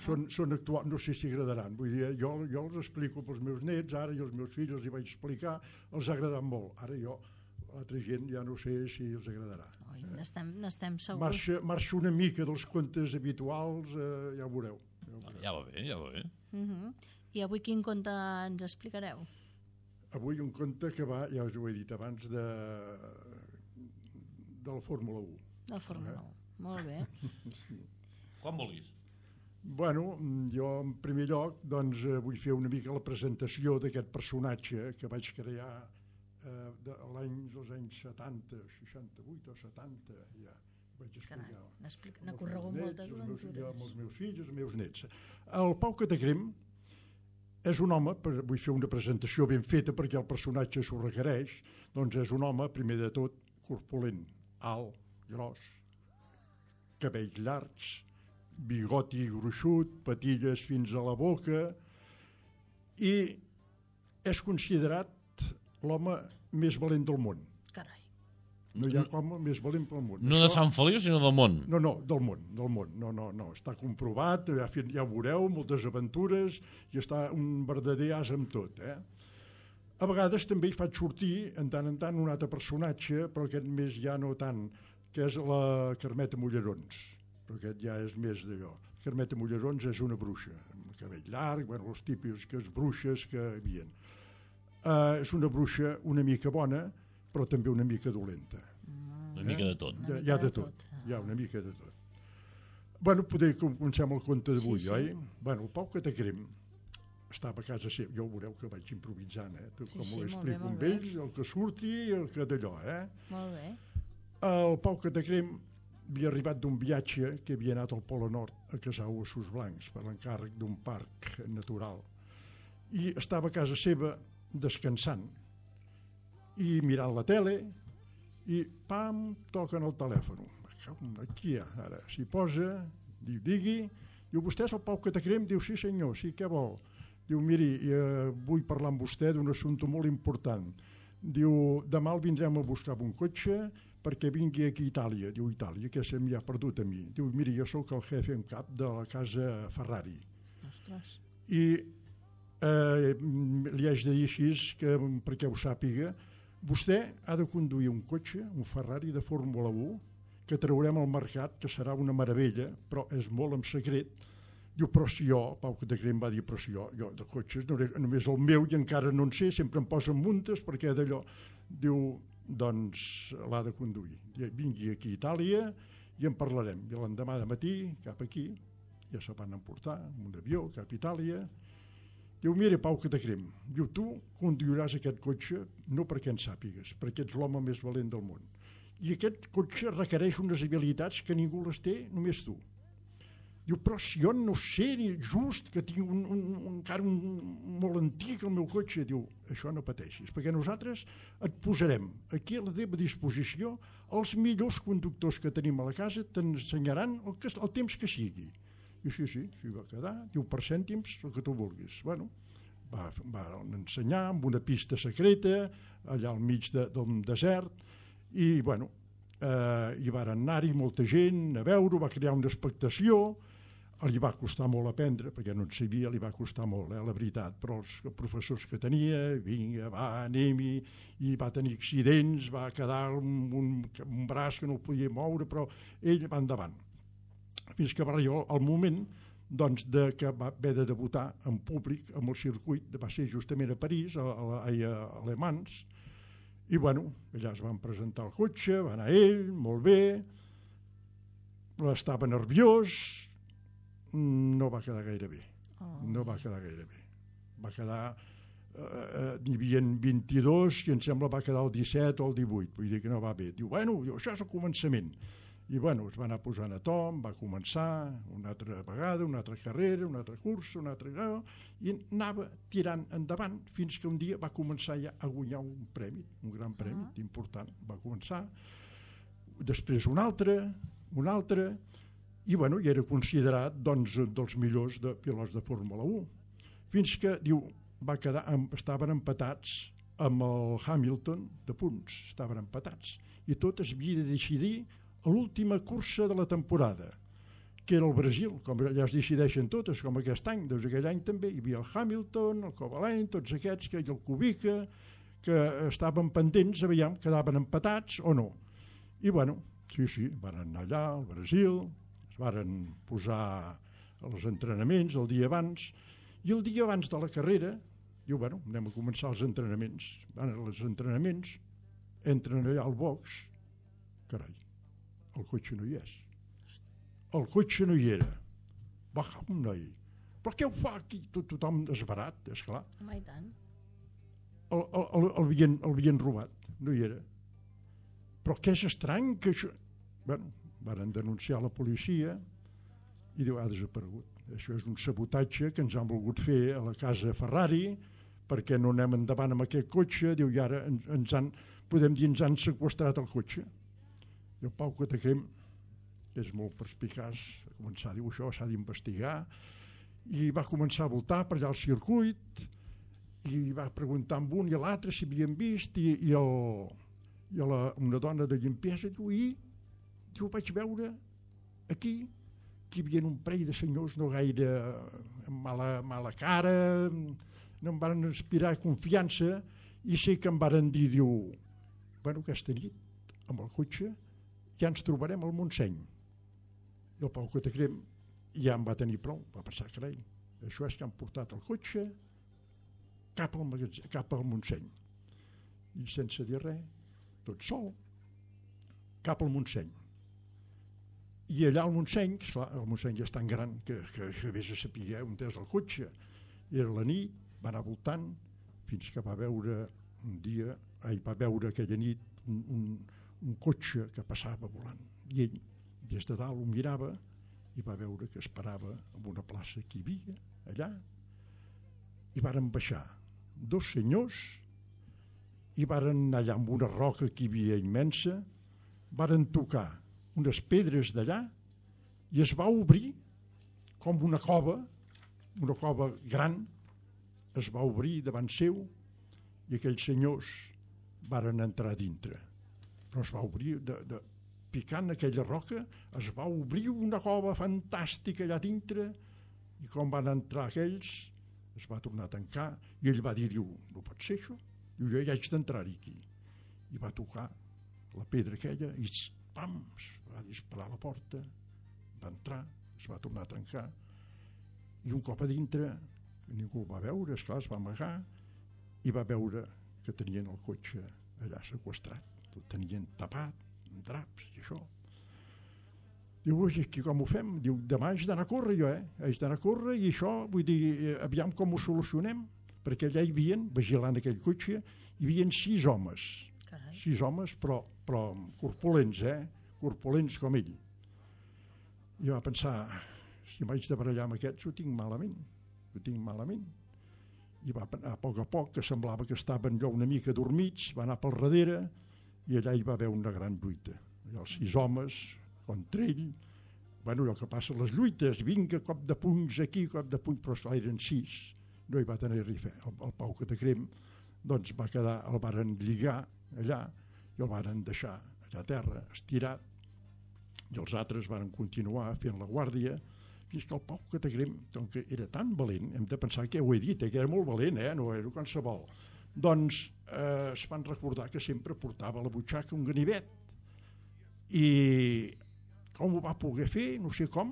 Són actuals, no sé si agradaran. Vull dir, jo els explico pels meus nets, ara i els meus fills els hi vaig explicar, els ha agradat molt. Ara l'altra gent ja no sé si els agradarà. N'estem segurs. Marxa una mica dels contes habituals, ja ho veureu. Ja va bé. I avui quin conte ens explicareu? Avui un conte que va, ja us ho he dit abans, de la Fórmula 1. De la Fórmula 1, molt bé. Quan vulguis. Bueno, jo en primer lloc vull fer una mica la presentació d'aquest personatge que vaig crear dels anys 70, 68 o 70, ja vaig explicar. N'ha corregut moltes aventures. Amb els meus fills i els meus nets. El Pau Catacrim és un home, vull fer una presentació ben feta perquè el personatge s'ho requereix, doncs és un home, primer de tot, corpulent, alt, gros, cabells llargs, bigoti gruixut, patilles fins a la boca, i és considerat l'home més valent del món. Carai. No hi ha home més valent pel món. No de Sant Feliu, sinó del món. No, del món. No, està comprovat, ja ho veureu, moltes aventures, i està un verdader as amb tot, A vegades també hi faig sortir, en tant, un altre personatge, però aquest més ja no tant, que és la Carmeta Mullerons. Però aquest ja és més d'allò. Carmeta Mullerons és una bruixa, amb el cabell llarg, els típics bruixes que hi havia. És una bruixa una mica bona, però també una mica dolenta. Una mica de tot. Hi ha de tot, hi ha una mica de tot. Bueno, poder començar amb el conte d'avui, oi? Bueno, el Pau Catacrim estava a casa seva, ja ho veureu que vaig improvisant, com ho explico amb ells, el que surti i el que d'allò, Molt bé. El Pau Catacrim havia arribat d'un viatge que havia anat al Polo Nord a caçar ossos blancs per l'encàrrec d'un parc natural i estava a casa seva descansant i mirant la tele i pam, toquen el telèfon. Aquí ara s'hi posa, digui, diu, vostè és el Pau Catacrem? Diu, sí senyor, sí, què vol? Diu, miri, vull parlar amb vostè d'un assumpte molt important. Diu, demà el vindrem a buscar amb un cotxe perquè vingui aquí a Itàlia. Diu, Itàlia, que se m'hi ha perdut a mi. Diu, miri, jo sóc el jefe en cap de la casa Ferrari. Ostres. I li haig de dir així, que, perquè ho sàpiga, vostè ha de conduir un cotxe, un Ferrari de Fórmula 1, que traurem al mercat, que serà una meravella, però és molt en secret. Diu, però si jo, Pau Catacrem va dir, però si jo de cotxes només el meu i encara no en sé, sempre em posen muntes perquè d'allò. Diu, doncs l'ha de conduir. Vingui aquí a Itàlia i en parlarem. I l'endemà de matí, cap aquí, ja se van emportar amb un avió cap a Itàlia. Diu, mira, Pau Catacrem, diu, tu conduiràs aquest cotxe no perquè en sàpigues, perquè ets l'home més valent del món. I aquest cotxe requereix unes habilitats que ningú les té, només tu. Diu, però si jo no sé ni just que tinc encara un molt antic el meu cotxe, diu, això no pateixis, perquè nosaltres et posarem aquí a la teva disposició els millors conductors que tenim a la casa, t'ensenyaran el temps que sigui. Diu, sí, va quedar, diu, per cèntims, el que tu vulguis. Bueno, va ensenyar amb una pista secreta, allà al mig del desert, i bueno, hi van anar-hi molta gent a veure, va crear una expectació, li va costar molt aprendre, perquè no en sabia, li va costar molt, la veritat, però els professors que tenia, vinga, va, anem-hi, i va tenir accidents, va quedar amb un braç que no el podia moure, però ell va endavant. Fins que va arribar el moment doncs, que va haver de debutar en públic amb el circuit, va ser justament a París, a Le Mans, i bueno, allà es van presentar el cotxe, va anar ell, molt bé, estava nerviós, no va quedar gaire bé. No va quedar gaire bé. Va quedar, n'hi havia 22 i em sembla va quedar el 17 o el 18, vull dir que no va bé. Diu, bueno, això és el començament. I bueno, es va anar posant a tom, va començar una altra vegada, una altra carrera, una altra cursa, una altra... i anava tirant endavant fins que un dia va començar ja a guanyar un premi, un gran premi important. Va començar, després un altre, i bueno, i era considerat doncs, dels millors pilots de Fórmula 1. Fins que, diu, estaven empatats amb el Hamilton de punts, estaven empatats. I tot es havia de decidir a l'última cursa de la temporada, que era el Brasil, com allà es decideixen totes, com aquest any. Doncs aquell any també hi havia el Hamilton, el Kovalainen, tots aquests, i el Kubica, que estaven pendents, aviam, quedaven empatats o no. I bueno, sí, van anar allà al Brasil, es varen posar els entrenaments el dia abans, i el dia abans de la carrera, diu, bueno, anem a començar els entrenaments. Van als entrenaments, entren allà al box, carai, el cotxe no hi és. El cotxe no hi era. Va, un noi. Però què ho fa aquí? Tothom desbarat, esclar. Home, i tant. El havien robat, no hi era. Però què és estrany que això... Bueno, van denunciar la policia i diu, ha desaparegut. Això és un sabotatge que ens han volgut fer a la casa Ferrari perquè no anem endavant amb aquest cotxe. Diu, i ara podem dir, ens han seqüestrat el cotxe. I el Pau Catacrem, que és molt perspicaç, va començar a dir, això s'ha d'investigar, i va començar a voltar per allà al circuit, i va preguntar amb un i a l'altre si havien vist, i una dona de llimpiesa diu, diu, vaig veure aquí que hi havia un parell de senyors no gaire amb mala cara, no em van inspirar confiança, i sé que em van dir, diu, bueno, aquesta nit, amb el cotxe, ja ens trobarem al Montseny. I el Pau Catacrem ja en va tenir prou, va pensar, carai, això és que han portat el cotxe cap al Montseny. I sense dir res, tot sol, cap al Montseny. I allà al Montseny, esclar, el Montseny ja és tan gran que vés a saber on és el cotxe. I era la nit, va anar voltant, fins que va veure aquella nit un cotxe que passava volant. I ell, des de dalt, ho mirava i va veure que es parava en una plaça que hi havia, allà, i varen baixar dos senyors i varen anar allà amb una roca que hi havia immensa, varen tocar unes pedres d'allà i es va obrir com una cova gran, es va obrir davant seu i aquells senyors varen entrar dintre. Però es va obrir, picant aquella roca, es va obrir una cova fantàstica allà dintre i com van entrar aquells es va tornar a tancar i ell va dir, no pot ser això, jo ja haig d'entrar-hi aquí. I va tocar la pedra aquella i pam, es va disparar a la porta, va entrar, es va tornar a tancar i un cop a dintre ningú el va veure, esclar, es va amagar i va veure que tenien el cotxe allà seqüestrat, el tenien tapat amb draps i això. Diu, ui, aquí com ho fem? Diu, demà haig d'anar a córrer jo, haig d'anar a córrer i això, vull dir, aviam com ho solucionem, perquè allà hi havia, vigilant aquell cotxe, hi havia 6 homes. Carai. 6 homes, però corpulents, corpulents com ell. I va pensar, si m'haig de barallar amb aquests ho tinc malament. I va anar a poc, que semblava que estaven allò una mica dormits, va anar pel darrere i allà hi va haver una gran lluita. Allà els 6 homes contra ell, bueno, allò que passa les lluites, vinga, cop de punys aquí, cop de punys, però esclar, eren 6, no hi va tenir res a fer. El Pau Catacrem doncs va quedar, el varen lligar allà i el varen deixar allà a terra, estirat, i els altres varen continuar fent la guàrdia fins que el Pau Catacrem, que era tan valent, hem de pensar que ho he dit, que era molt valent, no era qualsevol, doncs es van recordar que sempre portava a la butxaca un ganivet i com ho va poder fer, no sé com,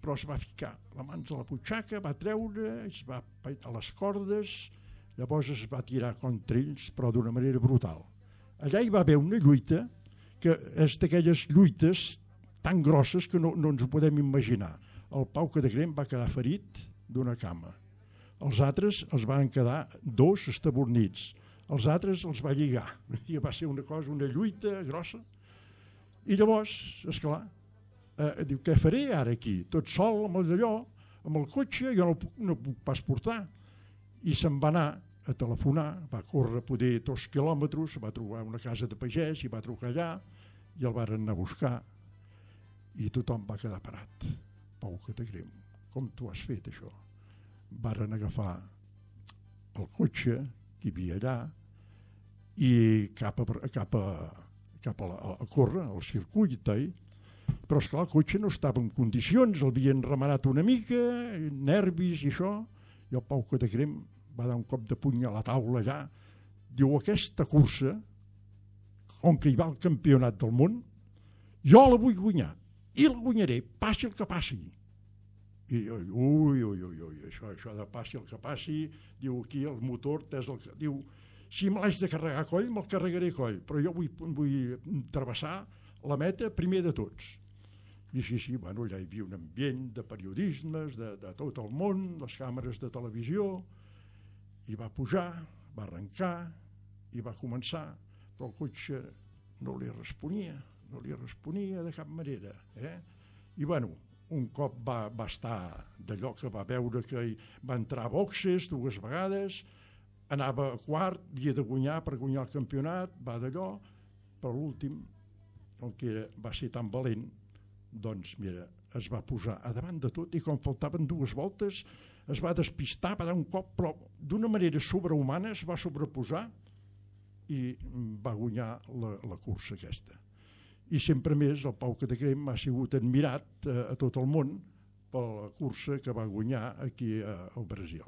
però es va ficar la mans a la butxaca, va treure, es va a les cordes, llavors es va tirar contra ells, però d'una manera brutal. Allà hi va haver una lluita que és d'aquelles lluites tan grosses que no ens ho podem imaginar. El Pau Catacrem va quedar ferit d'una cama. Els altres els van quedar 2 estabornits. Els altres els va lligar. I va ser una lluita grossa. I llavors, esclar, diu, què faré ara aquí? Tot sol amb allò, amb el cotxe, jo no puc pas portar. I se'n va anar a telefonar, va córrer poder 2 quilòmetres, va trobar una casa de pagès i va trucar allà i el varen anar a buscar i tothom va quedar parat. Pau Catacrem, com tu has fet això? Varen agafar el cotxe que hi havia allà i cap a córrer, al circuit, però esclar, el cotxe no estava en condicions, el havien remenat una mica, nervis i això, i el Pau Catacrem va dar un cop de puny a la taula allà, diu, aquesta cursa, on que hi va el campionat del món, jo la vull guanyar, i la guanyaré, passi el que passi. I això de passi el que passi, diu, aquí el motor, diu, si me l'haig de carregar a coll, me'l carregaré a coll, però jo vull travessar la meta primer de tots. I sí, bueno, allà hi havia un ambient de periodismes, de tot el món, les càmeres de televisió, i va pujar, va arrencar, i va començar, però el cotxe no li responia de cap manera. I bueno, un cop va estar d'allò que va veure que va entrar a boxes 2 vegades, anava a quart, havia de guanyar per guanyar el campionat, va d'allò, però l'últim, el que va ser tan valent, doncs mira, es va posar a davant de tot i com faltaven 2 voltes es va despistar, va dar un cop, però d'una manera sobrehumana es va sobreposar i va guanyar la cursa aquesta. I sempre més el Pau Catacrem ha sigut admirat a tot el món per la cursa que va guanyar aquí al Brasil.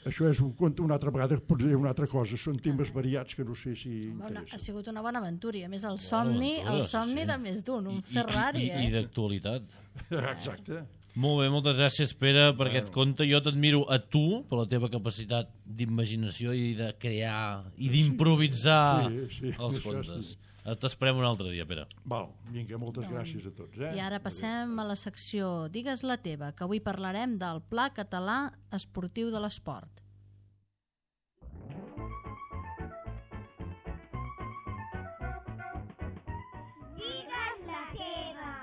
Això és un conte, una altra vegada podria una altra cosa, són temes variats que no sé si interessen. Ha sigut una bona aventura i a més el somni de més d'un, un Ferrari. I d'actualitat. Exacte. Molt bé, moltes gràcies, Pere, per aquest conte. Jo t'admiro a tu per la teva capacitat d'imaginació i de crear i d'improvisar els contes. T'esperem un altre dia, Pere. Val, vinga, moltes gràcies a tots. I ara passem a la secció Digues la teva, que avui parlarem del Pla Català Esportiu de l'Esport. Digues la teva.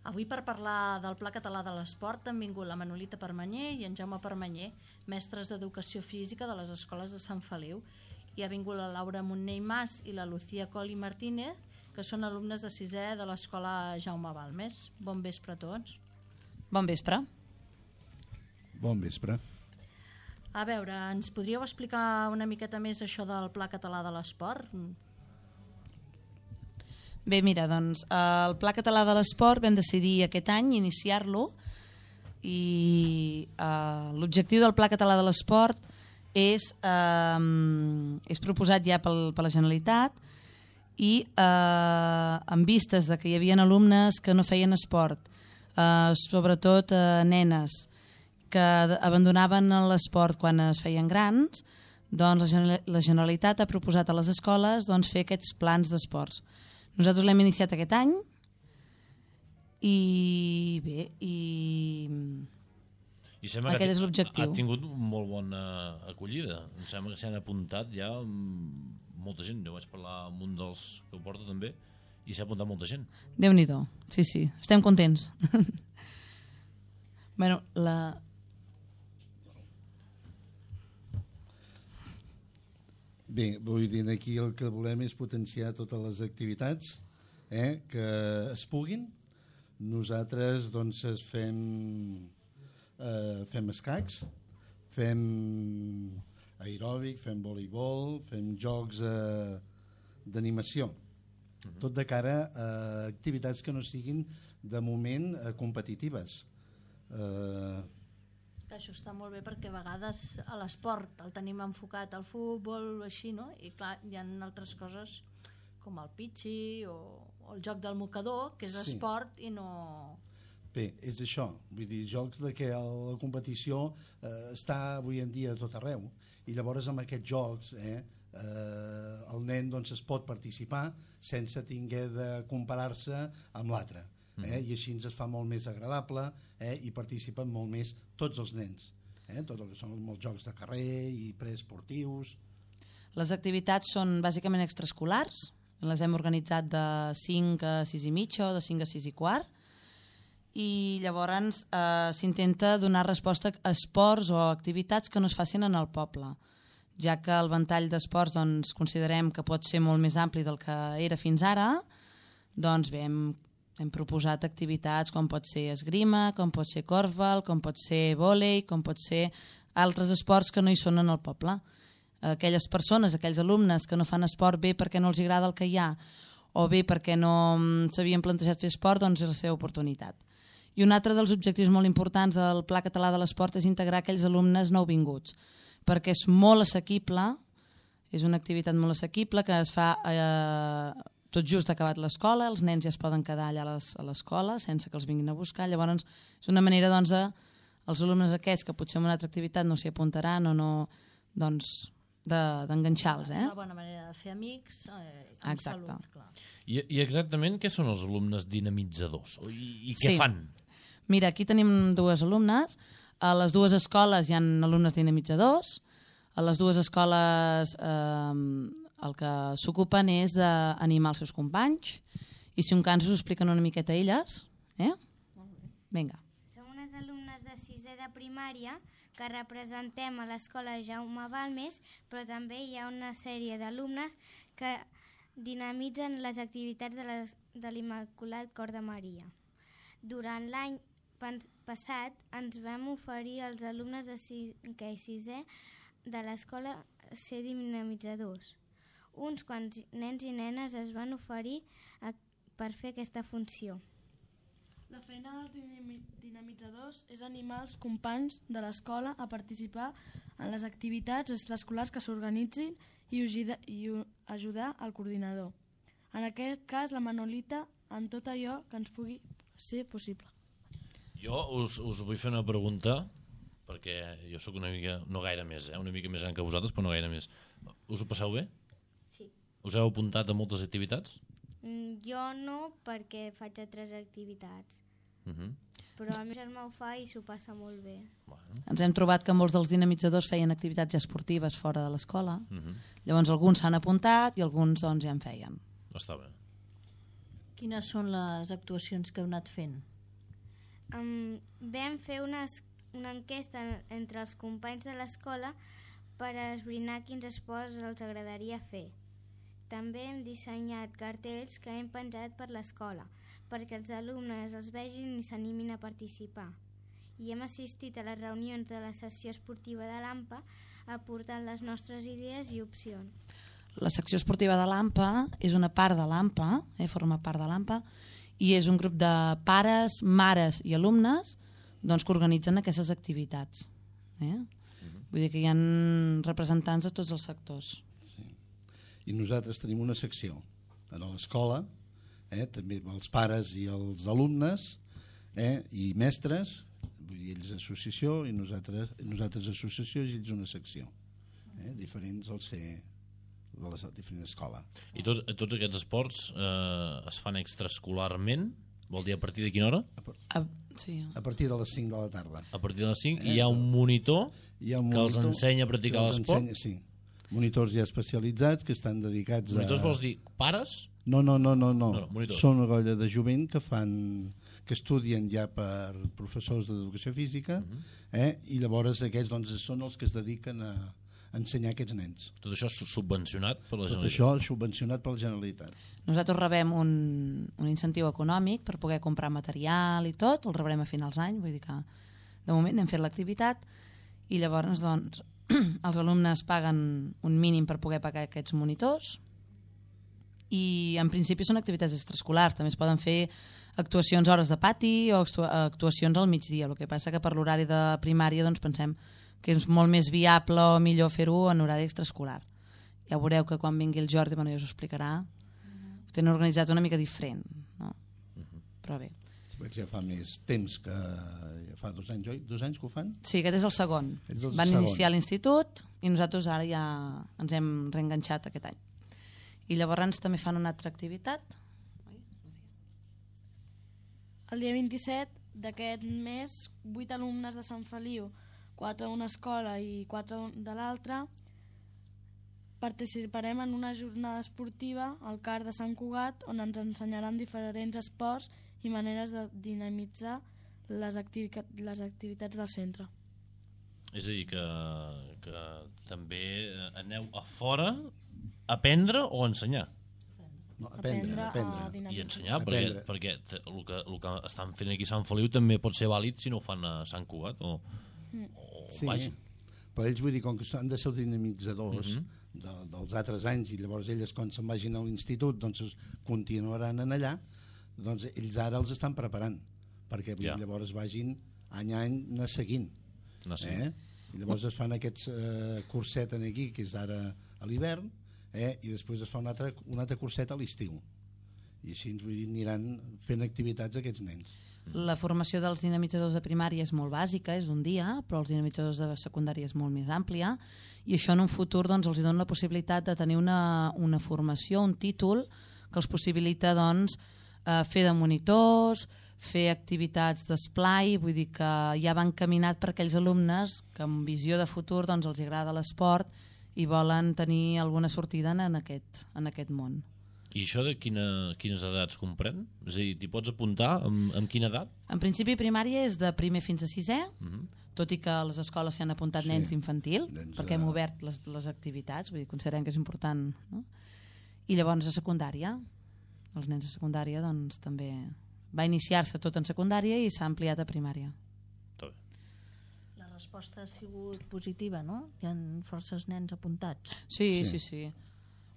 Avui per parlar del Pla Català de l'Esport han vingut la Manolita Permanyer i en Jaume Permanyer, mestres d'Educació Física de les escoles de Sant Feliu, i ha vingut la Laura Montner Mas i la Lucía Coli Martínez, que són alumnes de 6è de l'escola Jaume Balmes. Bon vespre a tots. Bon vespre. Bon vespre. A veure, ens podríeu explicar una miqueta més això del Pla Català de l'Esport? Bé, mira, doncs el Pla Català de l'Esport vam decidir aquest any iniciar-lo i l'objectiu del Pla Català de l'Esport és proposat ja per la Generalitat i en vistes de que hi havia alumnes que no feien esport, sobretot nenes que abandonaven l'esport quan es feien grans, doncs la Generalitat ha proposat a les escoles fer aquests plans d'esports. Nosaltres l'hem iniciat aquest any i bé, sembla aquest és l'objectiu. Ha tingut molt bona acollida. Em sembla que s'han apuntat ja molta gent. Jo vaig parlar amb un dels que ho porta també i s'ha apuntat molta gent. Déu-n'hi-do, sí, estem contents. Bueno, Bé, vull dir, aquí el que volem és potenciar totes les activitats que es puguin. Nosaltres doncs fem escacs, fem aeròbic, fem voleibol, fem jocs d'animació. Tot de cara a activitats que no siguin de moment competitives. Això està molt bé perquè a vegades a l'esport el tenim enfocat al futbol o així, no? I clar, hi ha altres coses com el pitxi o el joc del mocador, que és esport i no... Bé, és això, vull dir, jocs de què la competició està avui en dia a tot arreu i llavors amb aquests jocs el nen doncs es pot participar sense haver de comparar-se amb l'altre. I així ens es fa molt més agradable i participen molt més tots els nens, tot el que són molts jocs de carrer i preesportius. Les activitats són bàsicament extraescolars, les hem organitzat de 5 a 6 i mitja o de 5 a 6 i quart i llavors s'intenta donar resposta a esports o activitats que no es facin en el poble, ja que el ventall d'esports doncs, considerem que pot ser molt més ampli del que era fins ara, doncs bé, hem proposat activitats com pot ser esgrima, com pot ser corfball, com pot ser vòlei, com pot ser altres esports que no hi són en el poble. Aquelles persones, aquells alumnes que no fan esport bé perquè no els agrada el que hi ha o bé perquè no s'havien plantejat fer esport, doncs és la seva oportunitat. I un altre dels objectius molt importants del Pla Català de l'Esport és integrar aquells alumnes nouvinguts, perquè és molt assequible, és una activitat molt assequible que es fa tot just acabat l'escola, els nens ja es poden quedar allà a l'escola sense que els vinguin a buscar, llavors és una manera doncs els alumnes aquests que potser en una altra activitat no s'hi apuntaran o no, doncs d'enganxar-los. És una bona manera de fer amics amb salut, clar. I exactament què són els alumnes dinamitzadors? I què fan? Mira, aquí tenim dues alumnes, a les dues escoles hi ha alumnes dinamitzadors, a les dues escoles el que s'ocupen és d'animar els seus companys i si un cas us expliquen una miqueta elles. Vinga. Som unes alumnes de 6è de primària que representem a l'escola Jaume Balmes, però també hi ha una sèrie d'alumnes que dinamitzen les activitats de l'Immaculat Cor de Maria. Durant l'any passat ens vam oferir als alumnes de 5è i 6è de l'escola ser dinamitzadors. Uns quants nens i nenes es van oferir per fer aquesta funció. La feina dels dinamitzadors és animar els companys de l'escola a participar en les activitats extraescolars que s'organitzin i ajudar al coordinador. En aquest cas, la Manolita, en tot allò que ens pugui ser possible. Jo us vull fer una pregunta, perquè jo sóc una mica, no gaire més, una mica més gran que vosaltres, però no gaire més. Us ho passeu bé? Sí. Us heu apuntat a moltes activitats? Jo no, perquè faig altres activitats. Però el meu germà ho fa i s'ho passa molt bé. Ens hem trobat que molts dels dinamitzadors feien activitats esportives fora de l'escola. Llavors alguns s'han apuntat i alguns doncs ja en feien. Està bé. Quines són les actuacions que heu anat fent? Vam fer una enquesta entre els companys de l'escola per esbrinar quins esports els agradaria fer. També hem dissenyat cartells que hem penjat per l'escola perquè els alumnes els vegin i s'animin a participar. I hem assistit a les reunions de la sessió esportiva de l'AMPA aportant les nostres idees i opcions. La secció esportiva de l'AMPA és una part de l'AMPA, forma part de l'AMPA, i és un grup de pares, mares i alumnes doncs, que organitzen aquestes activitats. Vull dir que hi ha representants de tots els sectors. Sí. I nosaltres tenim una secció a l'escola, també els pares i els alumnes i mestres, vull dir, ells associació i nosaltres associació i ells una secció. Diferents al ser de la diferent escola. I tots aquests esports es fan extraescolarment? Vol dir a partir de quina hora? Sí. A partir de les 5 de la tarda. A partir de les 5 i hi ha un monitor que els ensenya a practicar l'esport? Sí. Monitors ja especialitzats que estan dedicats monitors vols dir pares? No. Monitors. Són una colla de jovent que estudien ja per professors d'educació física i llavors aquests són els que es dediquen a ensenyar aquests nens. Tot això subvencionat per la Generalitat? Tot això subvencionat per la Generalitat. Nosaltres rebem un incentiu econòmic per poder comprar material i tot, el rebrem a finals d'any, vull dir que de moment hem fet l'activitat i llavors doncs, els alumnes paguen un mínim per poder pagar aquests monitors i en principi són activitats extraescolars, també es poden fer actuacions a hores de pati o actuacions al migdia, el que passa que per l'horari de primària doncs pensem que és molt més viable o millor fer-ho en horari extraescolar. Ja veureu que quan vingui el Jordi, ja us ho explicarà, ho tenen organitzat una mica diferent, no? Però bé. Ja fa més temps que... Ja fa 2 anys, oi? 2 anys que ho fan? Sí, aquest és el segon. Van iniciar a l'institut i nosaltres ara ja ens hem reenganxat aquest any. I llavors també fan una altra activitat. El dia 27 d'aquest mes, 8 alumnes de Sant Feliu, 4 d'una escola i 4 de l'altra, participarem en una jornada esportiva al CAR de Sant Cugat on ens ensenyaran diferents esports i maneres de dinamitzar les activitats del centre. És a dir, que també aneu a fora a aprendre o a ensenyar? No, aprendre. I ensenyar, perquè el que estan fent aquí a Sant Feliu també pot ser vàlid si no ho fan a Sant Cugat o sí, però ells vull dir, com que han de ser els dinamitzadors dels altres anys i llavors elles quan se'n vagin a l'institut doncs continuaran en allà, doncs ells ara els estan preparant perquè llavors vagin any a any anar seguint. I llavors es fan aquests curset aquí que és ara a l'hivern i després es fa un altre curset a l'estiu i així vull dir, aniran fent activitats aquests nens. La formació dels dinamitzadors de primària és molt bàsica, és un dia, però els dinamitzadors de secundària és molt més àmplia i això en un futur doncs, els dona la possibilitat de tenir una formació, un títol que els possibilita doncs, fer de monitors, fer activitats d'esplai, vull dir que ja van caminat per aquells alumnes que amb visió de futur doncs, els agrada l'esport i volen tenir alguna sortida en aquest món. I això de quines edats comprèn? És a dir, t'hi pots apuntar amb quina edat? En principi primària és de primer fins a sisè, tot i que a les escoles s'hi han apuntat nens d'infantil, perquè hem obert les activitats, vull dir, considerem que és important, no? I llavors a secundària, els nens de secundària doncs també va iniciar-se tot en secundària i s'ha ampliat a primària. La resposta ha sigut positiva, no? Hi ha forces nens apuntats. Sí.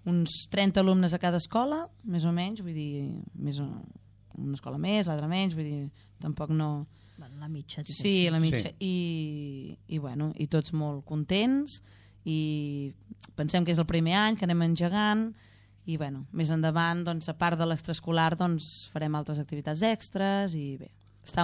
Uns 30 alumnes a cada escola, més o menys, vull dir, una escola més, l'altra menys, vull dir, tampoc no... La mitja, diguéssim. Sí, la mitja. Sí. I tots molt contents i pensem que és el primer any que anem engegant i més endavant, doncs, a part de l'extraescolar, doncs, farem altres activitats extres i bé,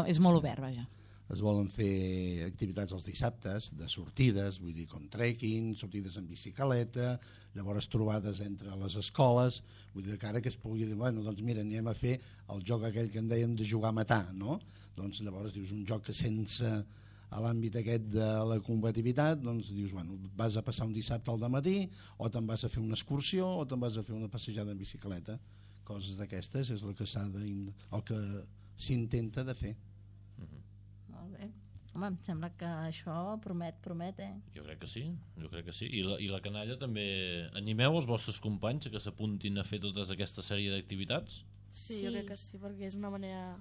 és molt obert, vaja. Es volen fer activitats els dissabtes, de sortides, vull dir, com trekking, sortides en bicicleta, llavors trobades entre les escoles, vull dir, que ara que es pugui dir, doncs mira, anem a fer el joc aquell que en dèiem de jugar a matar, no? Doncs llavors dius, un joc que sense a l'àmbit aquest de la competitivitat, doncs dius, vas a passar un dissabte al dematí, o te'n vas a fer una excursió, o te'n vas a fer una passejada en bicicleta, coses d'aquestes és el que el que s'intenta de fer. Molt bé. Home, em sembla que això promet, Jo crec que sí. I la canalla també... Animeu els vostres companys que s'apuntin a fer tota aquesta sèrie d'activitats? Sí, jo crec que sí, perquè és una manera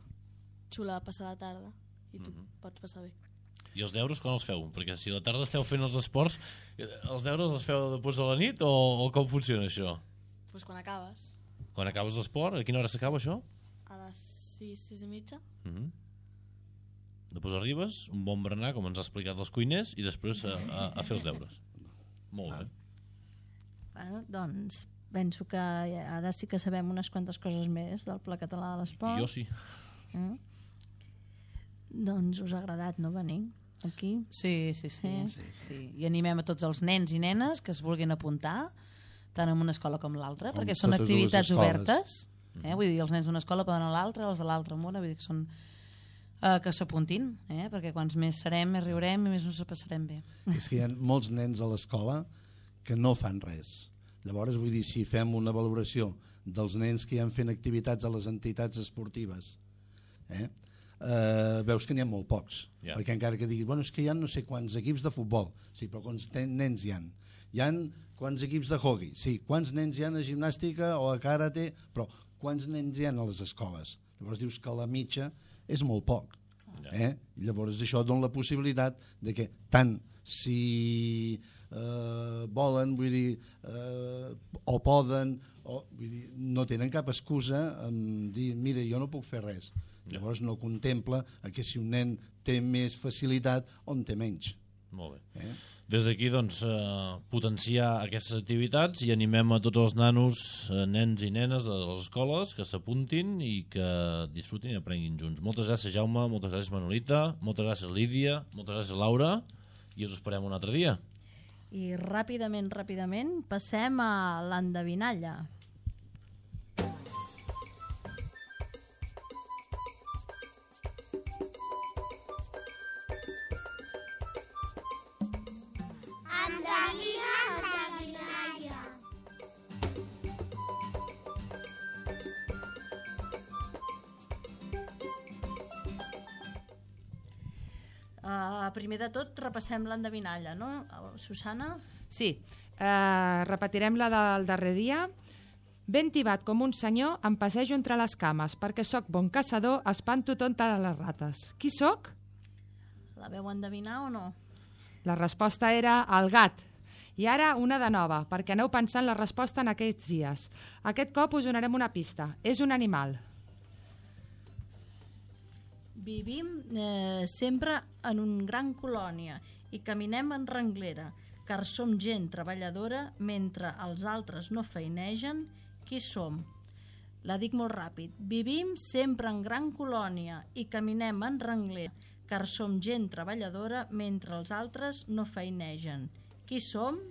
xula de passar la tarda i tu pots passar bé. I els deures quan els feu? Perquè si a la tarda esteu fent els esports, els deures els feu després de la nit o com funciona això? Pues quan acabes. Quan acabes l'esport? A quina hora s'acaba això? A les 6, 6 i mitja. Després arribes, un bon berenar, com ens ha explicat els cuiners, i després a fer els deures. Molt bé. Bueno, doncs penso que ara sí que sabem unes quantes coses més del Pla Català de l'Esport. Jo sí. Doncs us ha agradat, no, venir aquí? Sí. I animem a tots els nens i nenes que es vulguin apuntar, tant en una escola com l'altra, perquè són activitats obertes. Vull dir, els nens d'una escola poden a l'altra, els de l'altra en una, vull dir que són... que s'apuntin, perquè quants més serem, més riurem i més ens ho passarem bé. És que hi ha molts nens a l'escola que no fan res. Llavors, vull dir, si fem una valoració dels nens que hi han fent activitats a les entitats esportives, veus que n'hi ha molt pocs. Perquè encara que diguis, bueno, és que hi ha no sé quants equips de futbol, sí, però quants nens hi ha? Hi ha quants equips de hockey, sí, quants nens hi ha a gimnàstica o a karate, però quants nens hi ha a les escoles? Llavors dius que la mitja és molt poc. I llavors això dona la possibilitat de que tant si volen, vull dir, o poden, vull dir, no tenen cap excusa en dir, mira, jo no puc fer res. Llavors no contempla que si un nen té més facilitat o en té menys. Molt bé. Des d'aquí, doncs, potenciar aquestes activitats i animem a tots els nanos, nens i nenes de les escoles que s'apuntin i que disfrutin i aprenguin junts. Moltes gràcies, Jaume, moltes gràcies, Manolita, moltes gràcies, Lídia, moltes gràcies, Laura, i us esperem un altre dia. I ràpidament, passem a l'endevinalla. Primer de tot, repassem l'endevinalla, no, Susana? Sí, repetirem la del darrer dia. Ben tibat com un senyor, em passejo entre les cames, perquè sóc bon caçador, espanto tonta de les rates. Qui sóc? La veu endevinar o no? La resposta era el gat. I ara una de nova, perquè aneu pensant la resposta en aquests dies. Aquest cop us donarem una pista. És un animal. Vivim sempre en una gran colònia i caminem en renglera, car som gent treballadora mentre els altres no feinegen. Qui som? La dic molt ràpid. Vivim sempre en gran colònia i caminem en renglera, car som gent treballadora mentre els altres no feinegen. Qui som?